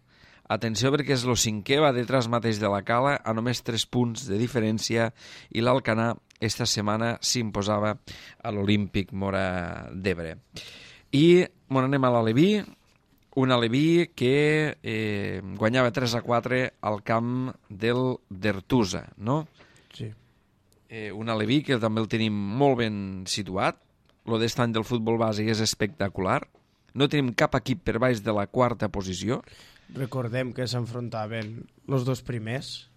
[SPEAKER 1] Atenció, perquè és el cinquè, va detrás mateix de la Cala, a només 3 punts de diferència, i l'Alcanar esta setmana s'imposava a l'Olímpic Móra d'Ebre. I anem a l'Aleví, un Aleví que guanyava 3-4 al camp del d'Ertusa, no?
[SPEAKER 2] Sí.
[SPEAKER 1] Un Aleví que també el tenim molt ben situat. Lo d'est any del futbol bàsic és espectacular. No tenim cap equip per baix de la quarta posició.
[SPEAKER 2] Recordem que s'enfrontaven els dos primers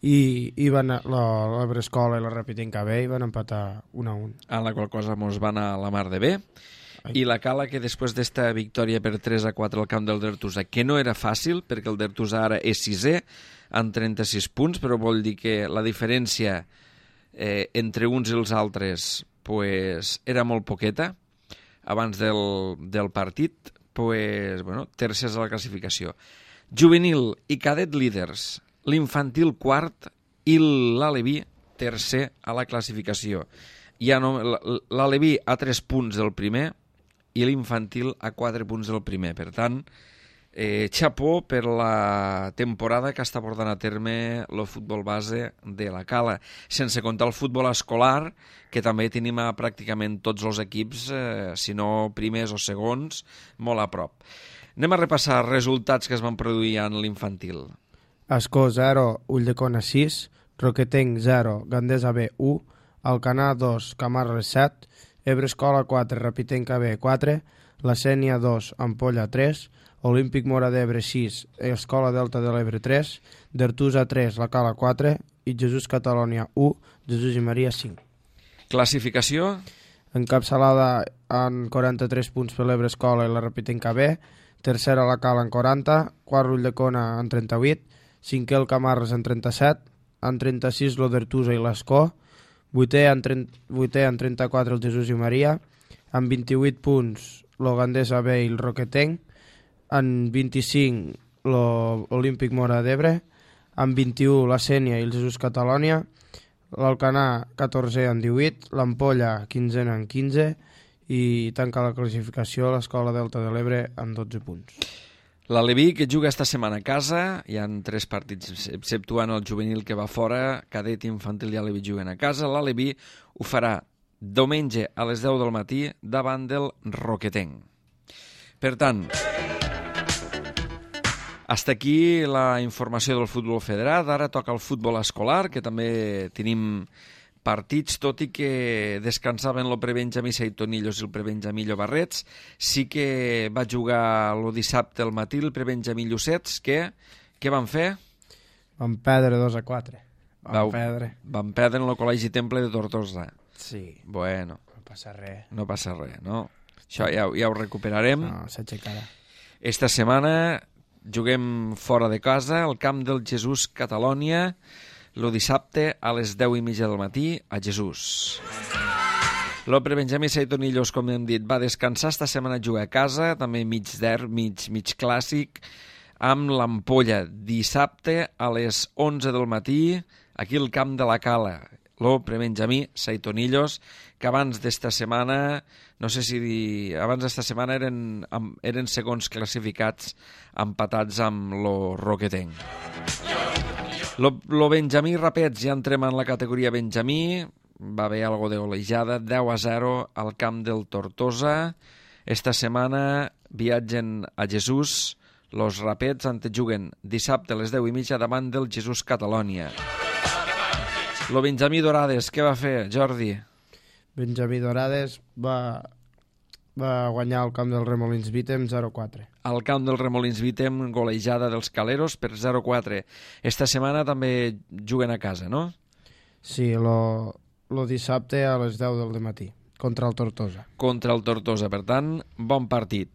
[SPEAKER 2] i van la Brescola i la Ràpid KB i van empatar 1-1.
[SPEAKER 1] En la qual cosa mos van a la mar de bé. I la Cala, que després d'esta victòria per 3-4 al camp del Dertusa, que no era fàcil, perquè el Dertusa ara és 6è, amb 36 punts, però vol dir que la diferència entre uns i els altres pues, era molt poqueta abans del partit, pues, bueno, tercers a la classificació. Juvenil i cadet líders, l'infantil quart i l'Aleví tercer a la classificació. L'Aleví a 3 punts del primer i l'infantil a 4 punts del primer. Per tant, xapó per la temporada que està portant a terme el futbol base de la Cala, sense comptar el futbol escolar, que també tenim a pràcticament tots els equips, si no primers o segons, molt a prop. Anem a repassar resultats que es van produir en l'infantil.
[SPEAKER 2] Ascó 0, Ulldecona 6, Roquetenc 0, Gandesa B 1, Alcanar 2, Camarles 7, Ebre Escola 4, Ràpid KB 4, La Sénia 2, Ampolla 3, Olímpic Móra d'Ebre 6, Escola Delta de l'Ebre 3, d'Ertusa 3, La Cala 4 i Jesús Catalònia 1, Jesús i Maria 5.
[SPEAKER 1] Classificació?
[SPEAKER 2] Encapçalada en 43 punts per l'Ebre Escola i la Ràpid KB, tercera La Cala en 40, quart Ulldecona en 38, cinquè el Camarles en 37, en 36 lo d'Ertusa i l'Escó, vuitè en 34 el Jesús i Maria, amb 28 punts lo Gandesa B i el Roquetenc, en 25 l'Olímpic Móra d'Ebre, en 21 la Sénia i el Jesús Catalònia, l'Alcanar 14 en 18, l'Ampolla 15 en 15 i tanca la classificació l'Escola Delta de l'Ebre amb 12 punts.
[SPEAKER 1] L'Aleví, que juga esta setmana a casa, hi ha 3 partits, exceptuant el juvenil que va fora, cadet, infantil i Aleví juguen a casa. L'Aleví ho farà diumenge a les 10 del matí davant del Roquetenc. Per tant, hasta aquí la informació del futbol federat. Ara toca el futbol escolar, que també tenim partits, tot i que descansaven el prebenjamí Seitonillos i el prebenjamí Llobarrets. Sí que va jugar el dissabte al matí el prebenjamí Llucets. Què van fer?
[SPEAKER 2] Van perdre 2-4. Van
[SPEAKER 1] perdre en el Col·legi Temple de Tortosa.
[SPEAKER 2] Sí.
[SPEAKER 1] Bueno.
[SPEAKER 2] No passa res.
[SPEAKER 1] No passa res, no? Això ja ho recuperarem.
[SPEAKER 2] No, s'aixecarà.
[SPEAKER 1] Esta setmana juguem fora de casa, al camp del Jesús Catalònia, el dissabte a les 10:30 del matí a Jesús. El prebenjamí Seitonillos, com hem dit, va descansar. Esta setmana juga a casa, també mig clàssic, amb l'Ampolla, dissabte a les 11 del matí, aquí al camp de la Cala. El prebenjamí Seitonillos, que abans d'esta setmana, no sé si abans d'esta setmana eren segons classificats, empatats amb el Roquetenc. Lo Benjamí Rapets, ja entrem en la categoria Benjamí, va haver algo de golejada, 10-0 al camp del Tortosa. Esta setmana viatgen a Jesús, los Rapets juguen dissabte a les 10:30 davant del Jesús Catalònia. Lo Benjamí Dorades, què va fer, Jordi?
[SPEAKER 2] Benjamí Dorades va guanyar al camp del Remolins Vítem 0-4.
[SPEAKER 1] Al camp del Remolins Vítem, golejada dels Caleros per 0-4. Esta setmana també juguen a casa, no?
[SPEAKER 2] Sí, lo dissabte a les 10 del matí contra el Tortosa.
[SPEAKER 1] Contra el Tortosa, per tant, bon partit.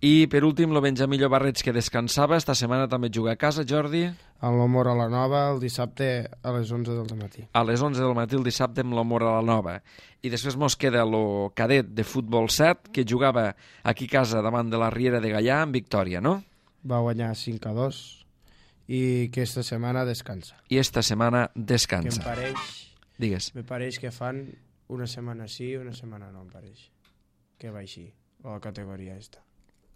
[SPEAKER 1] I per últim, el Benjamí Llobarrets, que descansava, esta setmana també juga a casa, Jordi.
[SPEAKER 2] El l'Humor a la Nova el dissabte a les 11 del matí.
[SPEAKER 1] A les 11 del matí el dissabte amb l'Humor a la Nova. I després mos queda el cadet de futbol 7, que jugava aquí a casa davant de la Riera de Gaià amb victòria, no?
[SPEAKER 2] Va guanyar 5-2 i que esta setmana descansa.
[SPEAKER 1] I esta setmana
[SPEAKER 2] Que
[SPEAKER 1] descansa. Digues.
[SPEAKER 2] me pareix que fan una setmana sí, una setmana no, em pareix. Que va així, la categoria esta.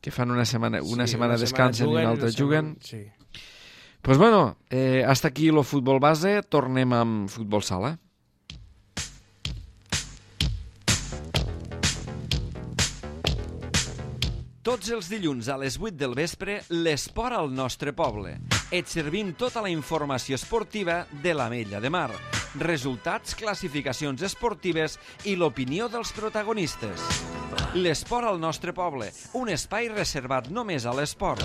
[SPEAKER 1] Que fan una setmana
[SPEAKER 2] Sí,
[SPEAKER 1] descansen i una altra juguen.
[SPEAKER 2] Sí.
[SPEAKER 1] Pues bueno, hasta aquí el futbol base, tornem amb futbol sala. Tots els dilluns a les 8 del vespre, l'esport al nostre poble. Et servim tota la informació esportiva de l'Ametlla de Mar, resultats, classificacions esportives i l'opinió dels protagonistes. L'esport al nostre poble, un espai reservat només a l'esport.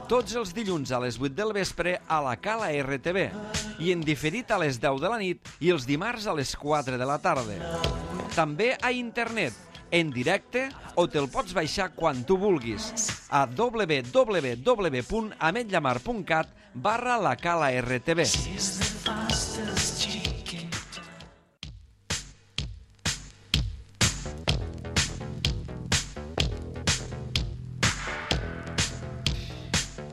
[SPEAKER 1] Tots els dilluns a les 8 del vespre a la Cala RTV i en diferit a les 10 de la nit i els dimarts a les 4 de la tarda. També a internet, en directe o te'l pots baixar quan tu vulguis a www.ametllamar.cat/la Cala RTV.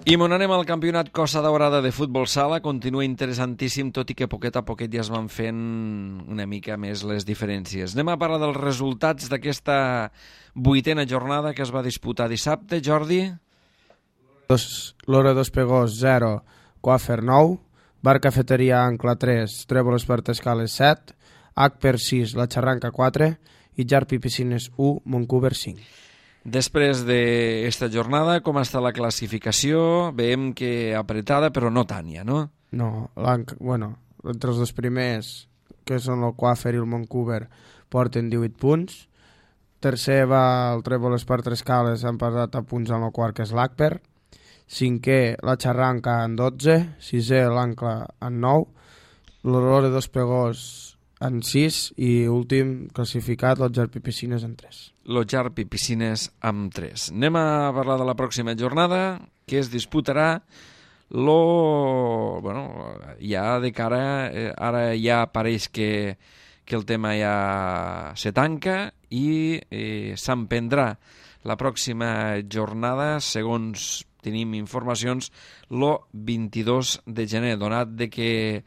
[SPEAKER 1] I m'on anem al campionat Costa Daurada de futbol sala. Continua interessantíssim, tot i que poquet a poquet ja es van fent una mica més les diferències. Anem a parlar dels resultats d'aquesta 8a jornada que es va disputar dissabte, Jordi.
[SPEAKER 2] L'Hora dos Pegós 0, Coafer 9, Bar Cafeteria Ancla 3, Trèvol Espart Escales 7, Acper 6, La Xarranca 4 i Jarpi Piscines 1, Montcuber 5.
[SPEAKER 1] Després d'esta jornada, com està la classificació? Veiem que apretada, però no tant ja, no?
[SPEAKER 2] No, entre els dos primers, que són el Coafer i el Montcuber, porten 18 punts. Tercer va el Trèvol Espart Escales, han passat a punts en el quart, que és l'Acper. Cinquè, la Xarranca en 12, sisè l'Ancla en 9, l'Hora dos Pegós en 6 i últim classificat el Jarpi Piscines en 3.
[SPEAKER 1] Lo Jarpi Piscines amb 3. Anem a parlar de la pròxima jornada, que es disputarà ja de cara, ara ja pareix que el tema ja se tanca i s'emprendrà la pròxima jornada, segons tenim informacions, el 22 de gener, donat de que,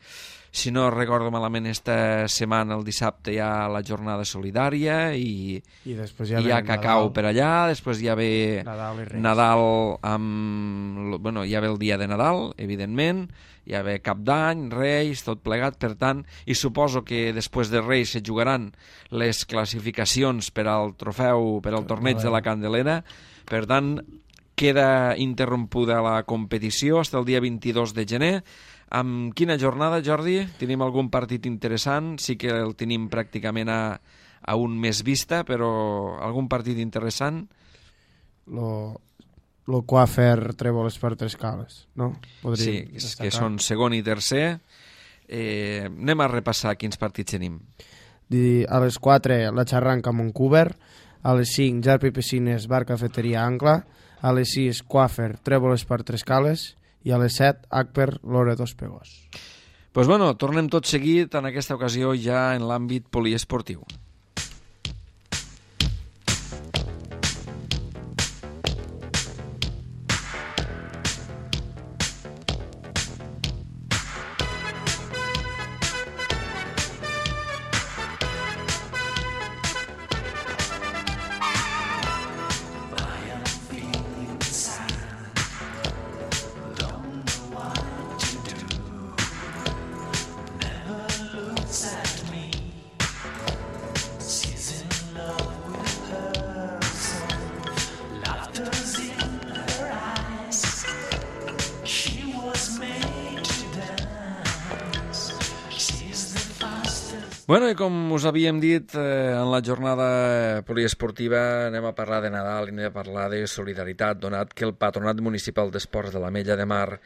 [SPEAKER 1] si no recordo malament, esta setmana, el dissabte, hi ha la jornada solidària i
[SPEAKER 2] després
[SPEAKER 1] hi ha cacau per allà, després hi ha ve
[SPEAKER 2] Nadal
[SPEAKER 1] hi ha ve el dia de Nadal, evidentment, hi ha ve Cap d'Any, Reis, tot plegat, per tant, i suposo que després de Reis se jugaran les classificacions per al trofeu, per al torneig de la Candelera, per tant, queda interrompuda la competició fins el dia 22 de gener. Amb quina jornada, Jordi? Tenim algun partit interessant? Sí que el tenim pràcticament a un mes vista, però algun partit interessant?
[SPEAKER 2] Lo Coafer Trèvol Espart Escales, no?
[SPEAKER 1] Sí, que són segon i tercer. Anem a repassar quins partits tenim.
[SPEAKER 2] A les 4, la Xarranca Montcuber, a les 5, Jarpi Piscines Bar Cafeteria Ancla, a les 6, Coafer Trèvol Espart Escales i a les 7, Acper l'Hora dos Pegós.
[SPEAKER 1] Doncs bueno, tornem tot seguit, en aquesta ocasió ja en l'àmbit poliesportiu. Bueno, i com us havíem dit, en la jornada poliesportiva anem a parlar de Nadal i anem a parlar de solidaritat, donat que el Patronat Municipal d'Esports de l'Ametlla de Mar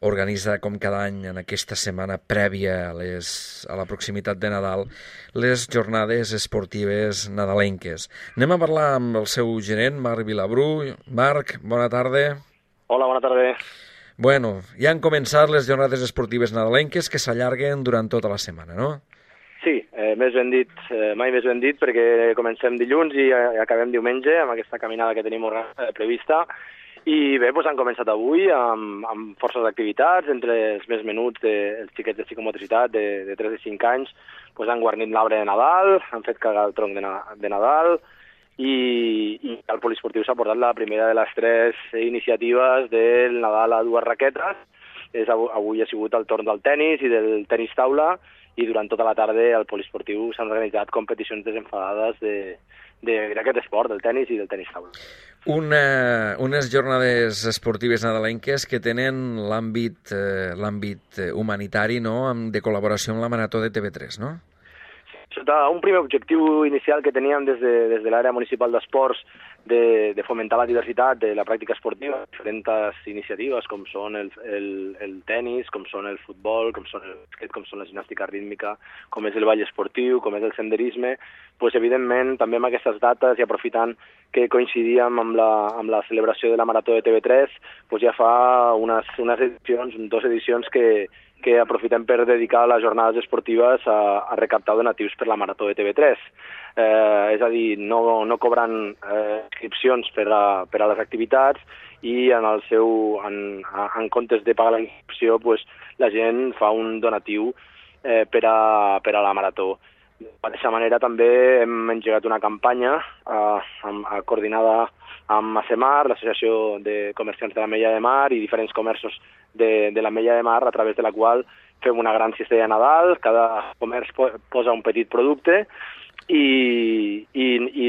[SPEAKER 1] organitza com cada any en aquesta setmana prèvia a la proximitat de Nadal les jornades esportives nadalenques. Anem a parlar amb el seu gerent, Marc Vilabrú. Marc, bona tarda.
[SPEAKER 4] Hola, bona tarda.
[SPEAKER 1] Bueno, ja han començat les jornades esportives nadalenques que s'allarguen durant tota la setmana, no?
[SPEAKER 4] Sí, més ben dit, mai més ben dit, perquè comencem dilluns i acabem diumenge amb aquesta caminada que tenim prevista. I bé, doncs han començat avui amb forces d'activitats, entre els més menuts, els xiquets de psicomotricitat de 3 i 5 anys, doncs han guarnit l'arbre de Nadal, han fet cagar el tronc de Nadal, i el poliesportiu s'ha portat la primera de les 3 iniciatives del Nadal a 2 raquetes. Avui ha sigut el torn del tennis i del tenis taula, i durant tota la tarda al poliesportiu s'han organitzat competicions desenfadades d'aquest esport, del tennis i del tenis taula.
[SPEAKER 1] Unes jornades esportives nadalenques que tenen l'àmbit humanitari, no?, de col·laboració amb la Marató de TV3, no?
[SPEAKER 4] Sota un primer objectiu inicial que teníem des de l'àrea municipal d'esports de fomentar la diversitat de la pràctica esportiva, diferents iniciatives com són el tennis, com són el futbol, com són el basquet, com són la gimnàstica rítmica, com és el ball esportiu, com és el senderisme, doncs evidentment també amb aquestes dates i aprofitant que coincidíem amb la celebració de la Marató de TV3, doncs ja fa unes edicions, 2 edicions que aprofitem per dedicar les jornades esportives a recaptar donatius per la Marató de TV3. És a dir, no cobran inscripcions per a les activitats i en comptes de pagar la inscripció, doncs, la gent fa un donatiu per a la Marató. De la mateixa manera també hem engegat una campanya coordinada amb ASEMAR, l'Associació de Comerciants de l'Ametlla de Mar, i diferents comerços de l'Ametlla de Mar, a través de la qual fem una gran cistella de Nadal, cada comerç posa un petit producte i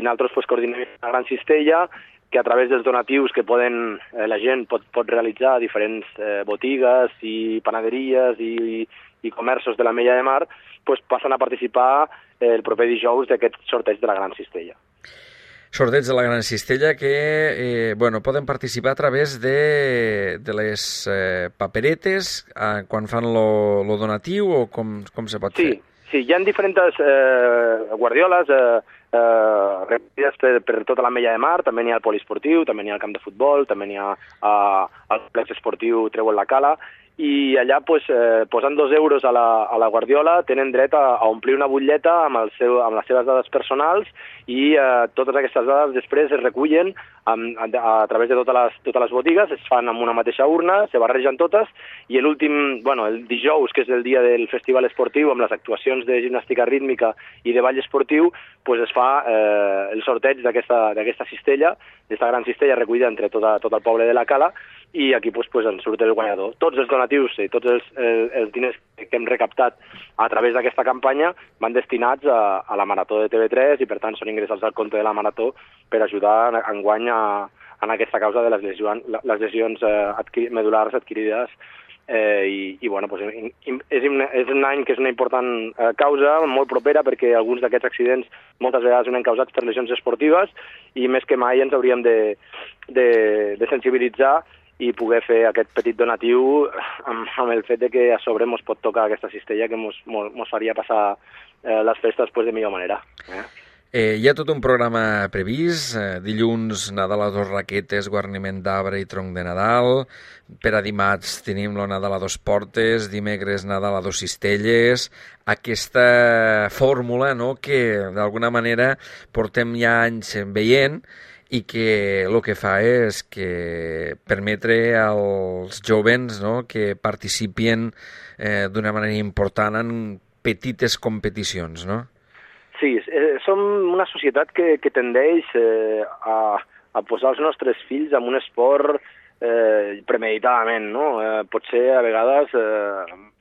[SPEAKER 4] nosaltres pues, coordinem una gran cistella que a través dels donatius que la gent pot realitzar a diferents botigues i panaderies i comerços de l'Ametlla de Mar, pues, passen a participar el proper dijous d'aquest sorteig de la gran cistella.
[SPEAKER 1] Sorteig de la gran cistella que poden participar a través de les paperetes quan fan lo donatiu, o com se pot fer?
[SPEAKER 4] Sí, hi ha diferents guardioles repetides per tota l'Ametlla de Mar, també n'hi ha al poliesportiu, també n'hi ha al camp de futbol, també n'hi ha al complex esportiu Treu en la Cala, i allà posant 2 euros a la guardiola tenen dret a omplir una butlleta amb les seves dades personals, i totes aquestes dades després es recullen a través de totes les botigues, es fan amb una mateixa urna, se barregen totes, i el dijous, que és el dia del festival esportiu, amb les actuacions de gimnàstica rítmica i de ball esportiu, pues es fa el sorteig d'aquesta cistella, d'aquesta gran cistella recollida entre tot el poble de la Cala, i aquí pues, en surt el guanyador. Tots els donatius i tots els diners que hem recaptat a través d'aquesta campanya van destinats a la Marató de TV3, i per tant són ingressats al compte de la Marató per ajudar enguany en aquesta causa de les lesions medul·lars adquirides. Pues, és un any que és una important causa, molt propera, perquè alguns d'aquests accidents moltes vegades són causats per lesions esportives, i més que mai ens hauríem de sensibilitzar i poder fer aquest petit donatiu amb el fet de que a sobre ens pot tocar aquesta cistella que ens faria passar les festes de millor manera.
[SPEAKER 1] Hi ha tot un programa previst, dilluns Nadal a 2 raquetes, guarniment d'arbre i tronc de Nadal, per a dimarts tenim el Nadal a 2 portes, dimecres Nadal a 2 cistelles, aquesta fórmula, no?, que d'alguna manera portem ja anys veient, i que el que fa és que permetre als jovens, no?, que participin d'una manera important en petites competicions, no?
[SPEAKER 4] Sí, som una societat que tendeix a posar els nostres fills en un esport premeditadament, no? Potser a vegades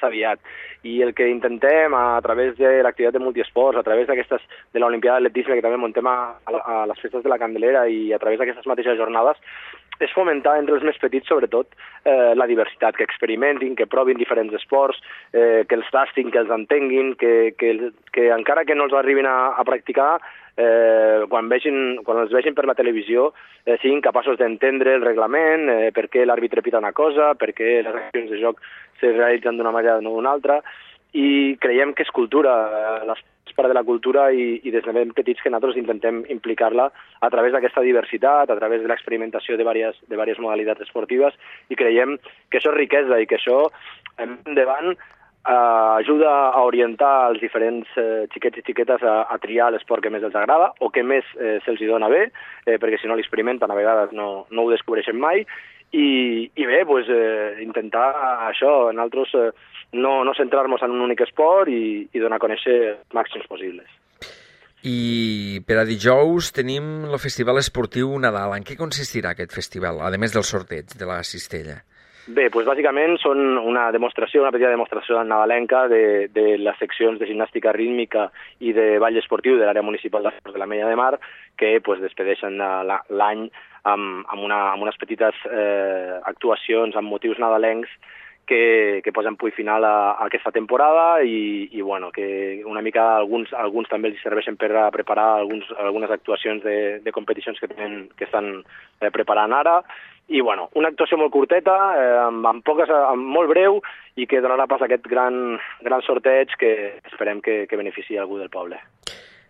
[SPEAKER 4] aviat. I el que intentem a través de l'activitat de multiesports, a través de l'Olimpiada d'Atletisme, que també muntem a les festes de la Candelera, i a través d'aquestes mateixes jornades, és fomentar entre els més petits, sobretot, la diversitat, que experimentin, que provin diferents esports, que els tastin, que els entenguin, que encara que no els arribin a practicar, quan els vegin per la televisió, siguin capaços d'entendre el reglament, per què l'àrbitre pita una cosa, per què les accions de joc se realitzen d'una manera o no d'una altra, i creiem que és cultura, és part de la cultura i des de ben petits que nosaltres intentem implicar-la a través d'aquesta diversitat, a través de l'experimentació de diverses modalitats esportives, i creiem que això és riquesa i que això, endavant, ajuda a orientar els diferents xiquets i xiquetes a triar l'esport que més els agrada o que més se'ls dona bé, perquè si no l'experimenten a vegades no ho descobreixen mai, i bé, intentar això, nosaltres no centrar-nos en un únic esport i donar a conèixer els màxims possibles.
[SPEAKER 1] I per a dijous tenim el Festival Esportiu Nadal. En què consistirà aquest festival, a més del sorteig de la cistella?
[SPEAKER 4] Bé, bàsicament són una petita demostració nadalenca de les seccions de gimnàstica rítmica i de ball esportiu de l'àrea municipal d'esports de l'Ametlla de Mar, que despedeixen l'any amb unes petites actuacions amb motius nadalencs que posen punt final a aquesta temporada i que una mica alguns també els serveixen per a preparar algunes actuacions de competicions que estan preparant ara. I una actuació molt curteta, molt breu, i que donarà pas a aquest gran sorteig que esperem que beneficiï algú del poble.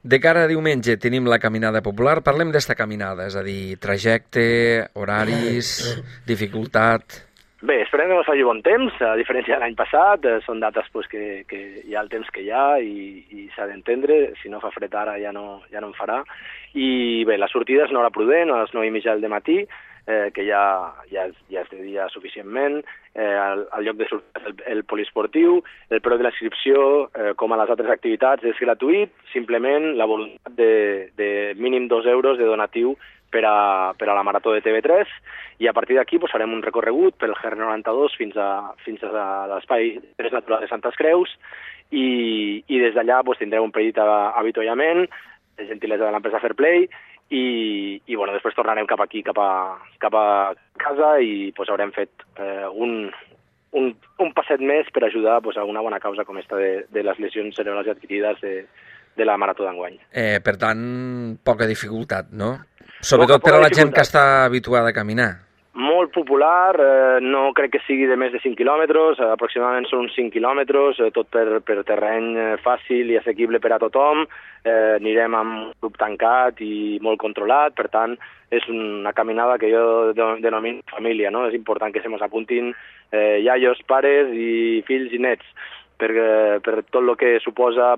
[SPEAKER 1] De cara a diumenge tenim la caminada popular. Parlem d'esta caminada, és a dir, trajecte, horaris, dificultat...
[SPEAKER 4] Bé, esperem que no faci bon temps, a diferència de l'any passat, són dates que hi ha el temps que hi ha i s'ha d'entendre, si no fa fred ara ja no en farà. I bé, la sortida és una hora prudent, a les 9:30 del matí, que ja és de dia suficientment, el lloc de sortida és el poliesportiu, el preu de l'inscripció, com a les altres activitats, és gratuït, simplement la voluntat de mínim 2 euros de donatiu per a la Marató de TV3, i a partir d'aquí farem un recorregut pel GR92 fins a l'espai d'interès natural de Santes Creus, i des d'allà tindrem un petit avituallament, gentilesa de l'empresa Fairplay, i després tornarem cap aquí, cap a casa, i haurem fet un passet més per ajudar a una bona causa com esta de les lesions cerebrals adquirides de la Marató d'enguany.
[SPEAKER 1] Per tant, poca dificultat, no? Sobretot per a la gent que està habituada a caminar.
[SPEAKER 4] Molt popular, no crec que sigui de més de 5 quilòmetres, aproximadament són uns 5 quilòmetres, tot per terreny fàcil i assequible per a tothom. Anirem amb un grup tancat i molt controlat, per tant, és una caminada que jo denomino família, no? És important que se mos apuntin iaios, pares i fills i nets, per tot el que suposa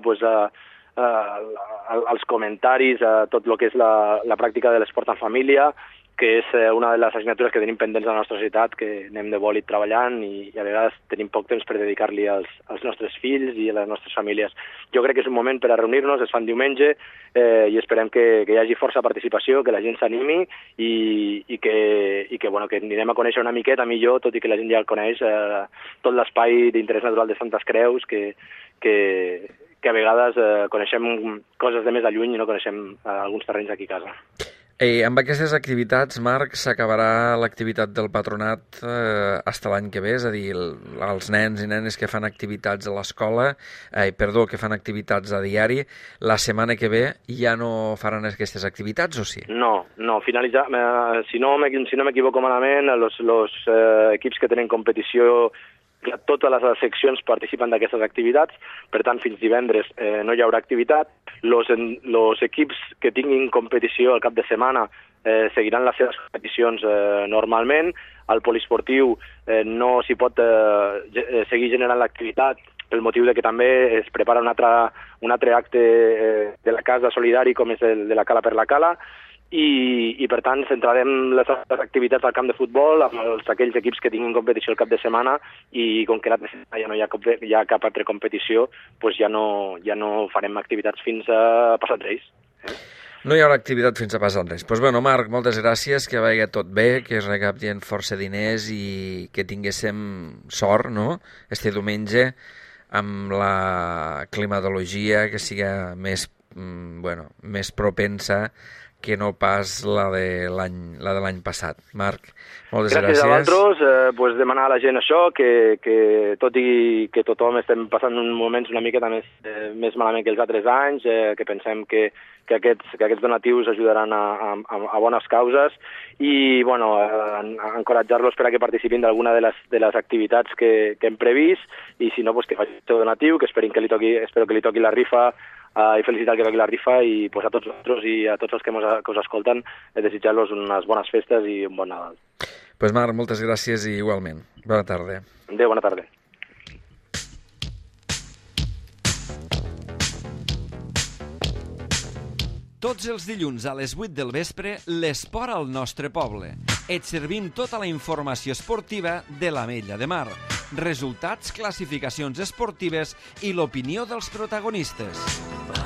[SPEAKER 4] els comentaris, tot el que és la pràctica de l'esport en família, que és una de les assignatures que tenim pendents a la nostra societat, que anem de bòlit treballant i a vegades tenim poc temps per dedicar-li als nostres fills i a les nostres famílies. Jo crec que és un moment per a reunir-nos, es fan diumenge, i esperem que hi hagi força participació, que la gent s'animi i que anirem a conèixer una miqueta millor, tot i que la gent ja el coneix, tot l'espai d'interès natural de Santes Creus, que a vegades coneixem coses de més a lluny i no coneixem alguns terrenys aquí a casa.
[SPEAKER 1] Amb aquestes activitats, Marc, s'acabarà l'activitat del patronat fins l'any que ve, és a dir, els nens i nenes que fan activitats a l'escola, que fan activitats a diari, la setmana que ve ja no faran aquestes activitats, o sí?
[SPEAKER 4] No, finalitzar, si no m'equivoco malament, els equips que tenen competició, totes les seccions participen d'aquestes activitats, per tant, fins divendres no hi haurà activitat. Els equips que tinguin competició al cap de setmana seguiran les seves competicions normalment. Al poliesportiu no s'hi pot seguir generant l'activitat pel motiu que també es prepara un altre acte de la casa solidari com és el de la Cala per la Cala, i per tant centrarem les activitats al camp de futbol amb aquells equips que tinguin competició el cap de setmana, i com que ja no hi ha cap altra competició, ja no farem activitats fins a passat Reis.
[SPEAKER 1] No hi haurà activitat fins a passat Reis. Doncs Marc, moltes gràcies, que vagi tot bé, que es recaptin força diners i que tinguéssim sort, no?, este diumenge, amb la climatologia que siga més propensa que no pas la de l'any passat. Marc, moltes gràcies.
[SPEAKER 4] Gràcies a vosaltres, demanar a la gent això, que tot i que tothom estem passant uns moments una miqueta més malament que els altres anys, que pensem que aquests donatius ajudaran a bones causes i encoratjar-los per a que participin d'alguna de les activitats que hem previst i si no, que facin el seu donatiu, que espero que li toqui la rifa i felicitar que toqui la rifa i a tots nosaltres i a tots els que us escolten desitjar-los unes bones festes i un bon Nadal.
[SPEAKER 1] Pues Marc, moltes gràcies i igualment. Bona tarda.
[SPEAKER 4] Adéu, bona tarda.
[SPEAKER 1] Tots els dilluns a les 8 del vespre, l'esport al nostre poble. Et servim tota la informació esportiva de l'Ametlla de Mar. Resultats, classificacions esportives i l'opinió dels protagonistes.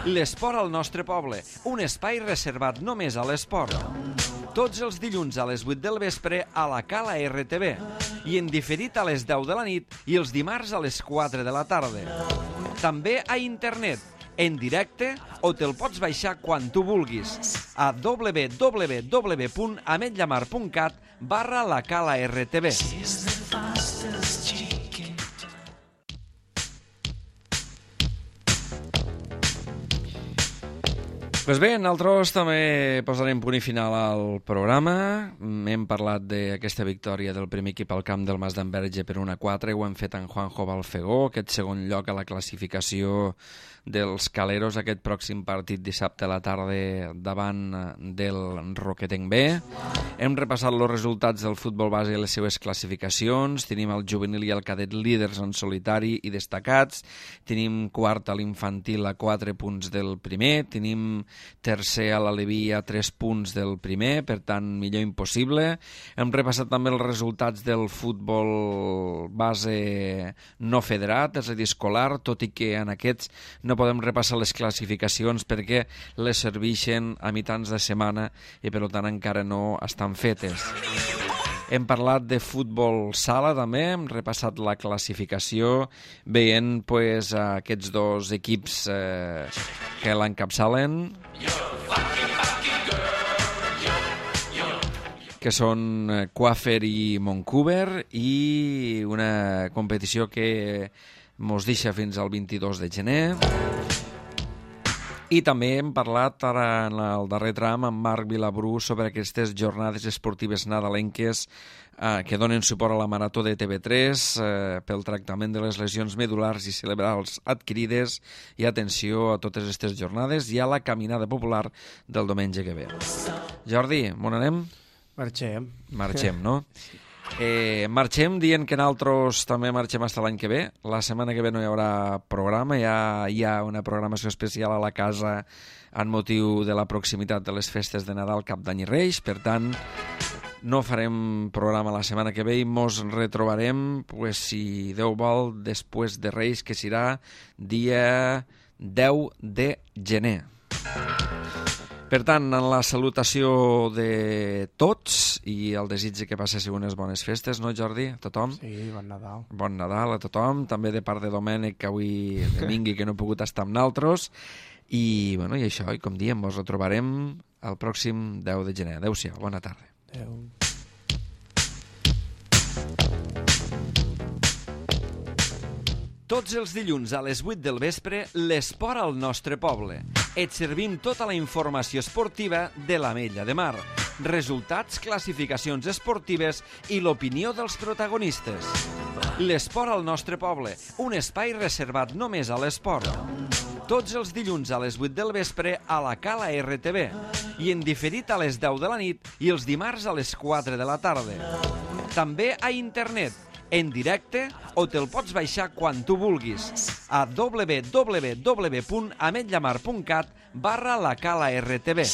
[SPEAKER 1] L'esport al nostre poble, un espai reservat només a l'esport. Tots els dilluns a les 8 del vespre a la Cala RTV i en diferit a les 10 de la nit i els dimarts a les 4 de la tarda. També a internet, en directe o te'l pots baixar quan tu vulguis a www.ametlamar.cat/la Cala RTV. Pues bé, nosaltres també posarem punt i final al programa. Hem parlat d'aquesta victòria del primer equip al camp del Mas d'Enverge per 1-4. Ho hem fet en Juanjo Balfegó, aquest segon lloc a la classificació dels Caleros, aquest pròxim partit dissabte a la tarda davant del Roquetenc B. Hem repassat els resultats del futbol base i les seues classificacions. Tenim el juvenil i el cadet líders en solitari i destacats. Tenim quart a l'infantil a 4 punts del primer. Tenim tercer a l'Aleví a 3 punts del primer, per tant, millor impossible. Hem repassat també els resultats del futbol base no federat, és a dir, escolar, tot i que en aquests no podem repassar les classificacions perquè les serveixen a mitjans de setmana i per tant encara no estan fetes. Hem parlat de futbol sala també, hem repassat la classificació veient aquests dos equips que l'encapçalen, que són Quafer i Montcouver, i una competició que mos deixa fins al 22 de gener. I també hem parlat ara en el darrer tram amb Marc Vilabrú sobre aquestes jornades esportives nadalenques que donen suport a la Marató de TV3 pel tractament de les lesions medulars i cerebrals adquirides, i atenció a totes aquestes jornades i a la caminada popular del diumenge que ve. Jordi, on anem?
[SPEAKER 2] Marxem.
[SPEAKER 1] Marxem, no? Marxem dient que nosaltres també marxem fins l'any que ve. La setmana que ve no hi haurà programa, ja hi ha una programació especial a la casa en motiu de la proximitat de les festes de Nadal, Cap d'Any i Reis. Per tant, no farem programa la setmana que ve i mos retrobarem, si Déu vol, després de Reis, que serà dia 10 de gener. Per tant, en la salutació de tots i el desig que passessin unes bones festes, no, Jordi? A tothom?
[SPEAKER 2] Sí, bon Nadal.
[SPEAKER 1] Bon Nadal a tothom, també de part de Domènec, que avui vingui, que no ha pogut estar amb naltros. I això, i com diem, ens retrobarem el pròxim 10 de gener. Adéu-siau, bona tarda.
[SPEAKER 2] Adéu.
[SPEAKER 1] Tots els dilluns a les 8 del vespre, l'esport al nostre poble. Et servim tota la informació esportiva de l'Ametlla de Mar. Resultats, classificacions esportives i l'opinió dels protagonistes. L'esport al nostre poble, un espai reservat només a l'esport. Tots els dilluns a les 8 del vespre a la Cala RTV i en diferit a les 10 de la nit i els dimarts a les 4 de la tarda. També a internet, en directe o te'l pots baixar quan tu vulguis a www.ametlamar.cat/la Cala RTV.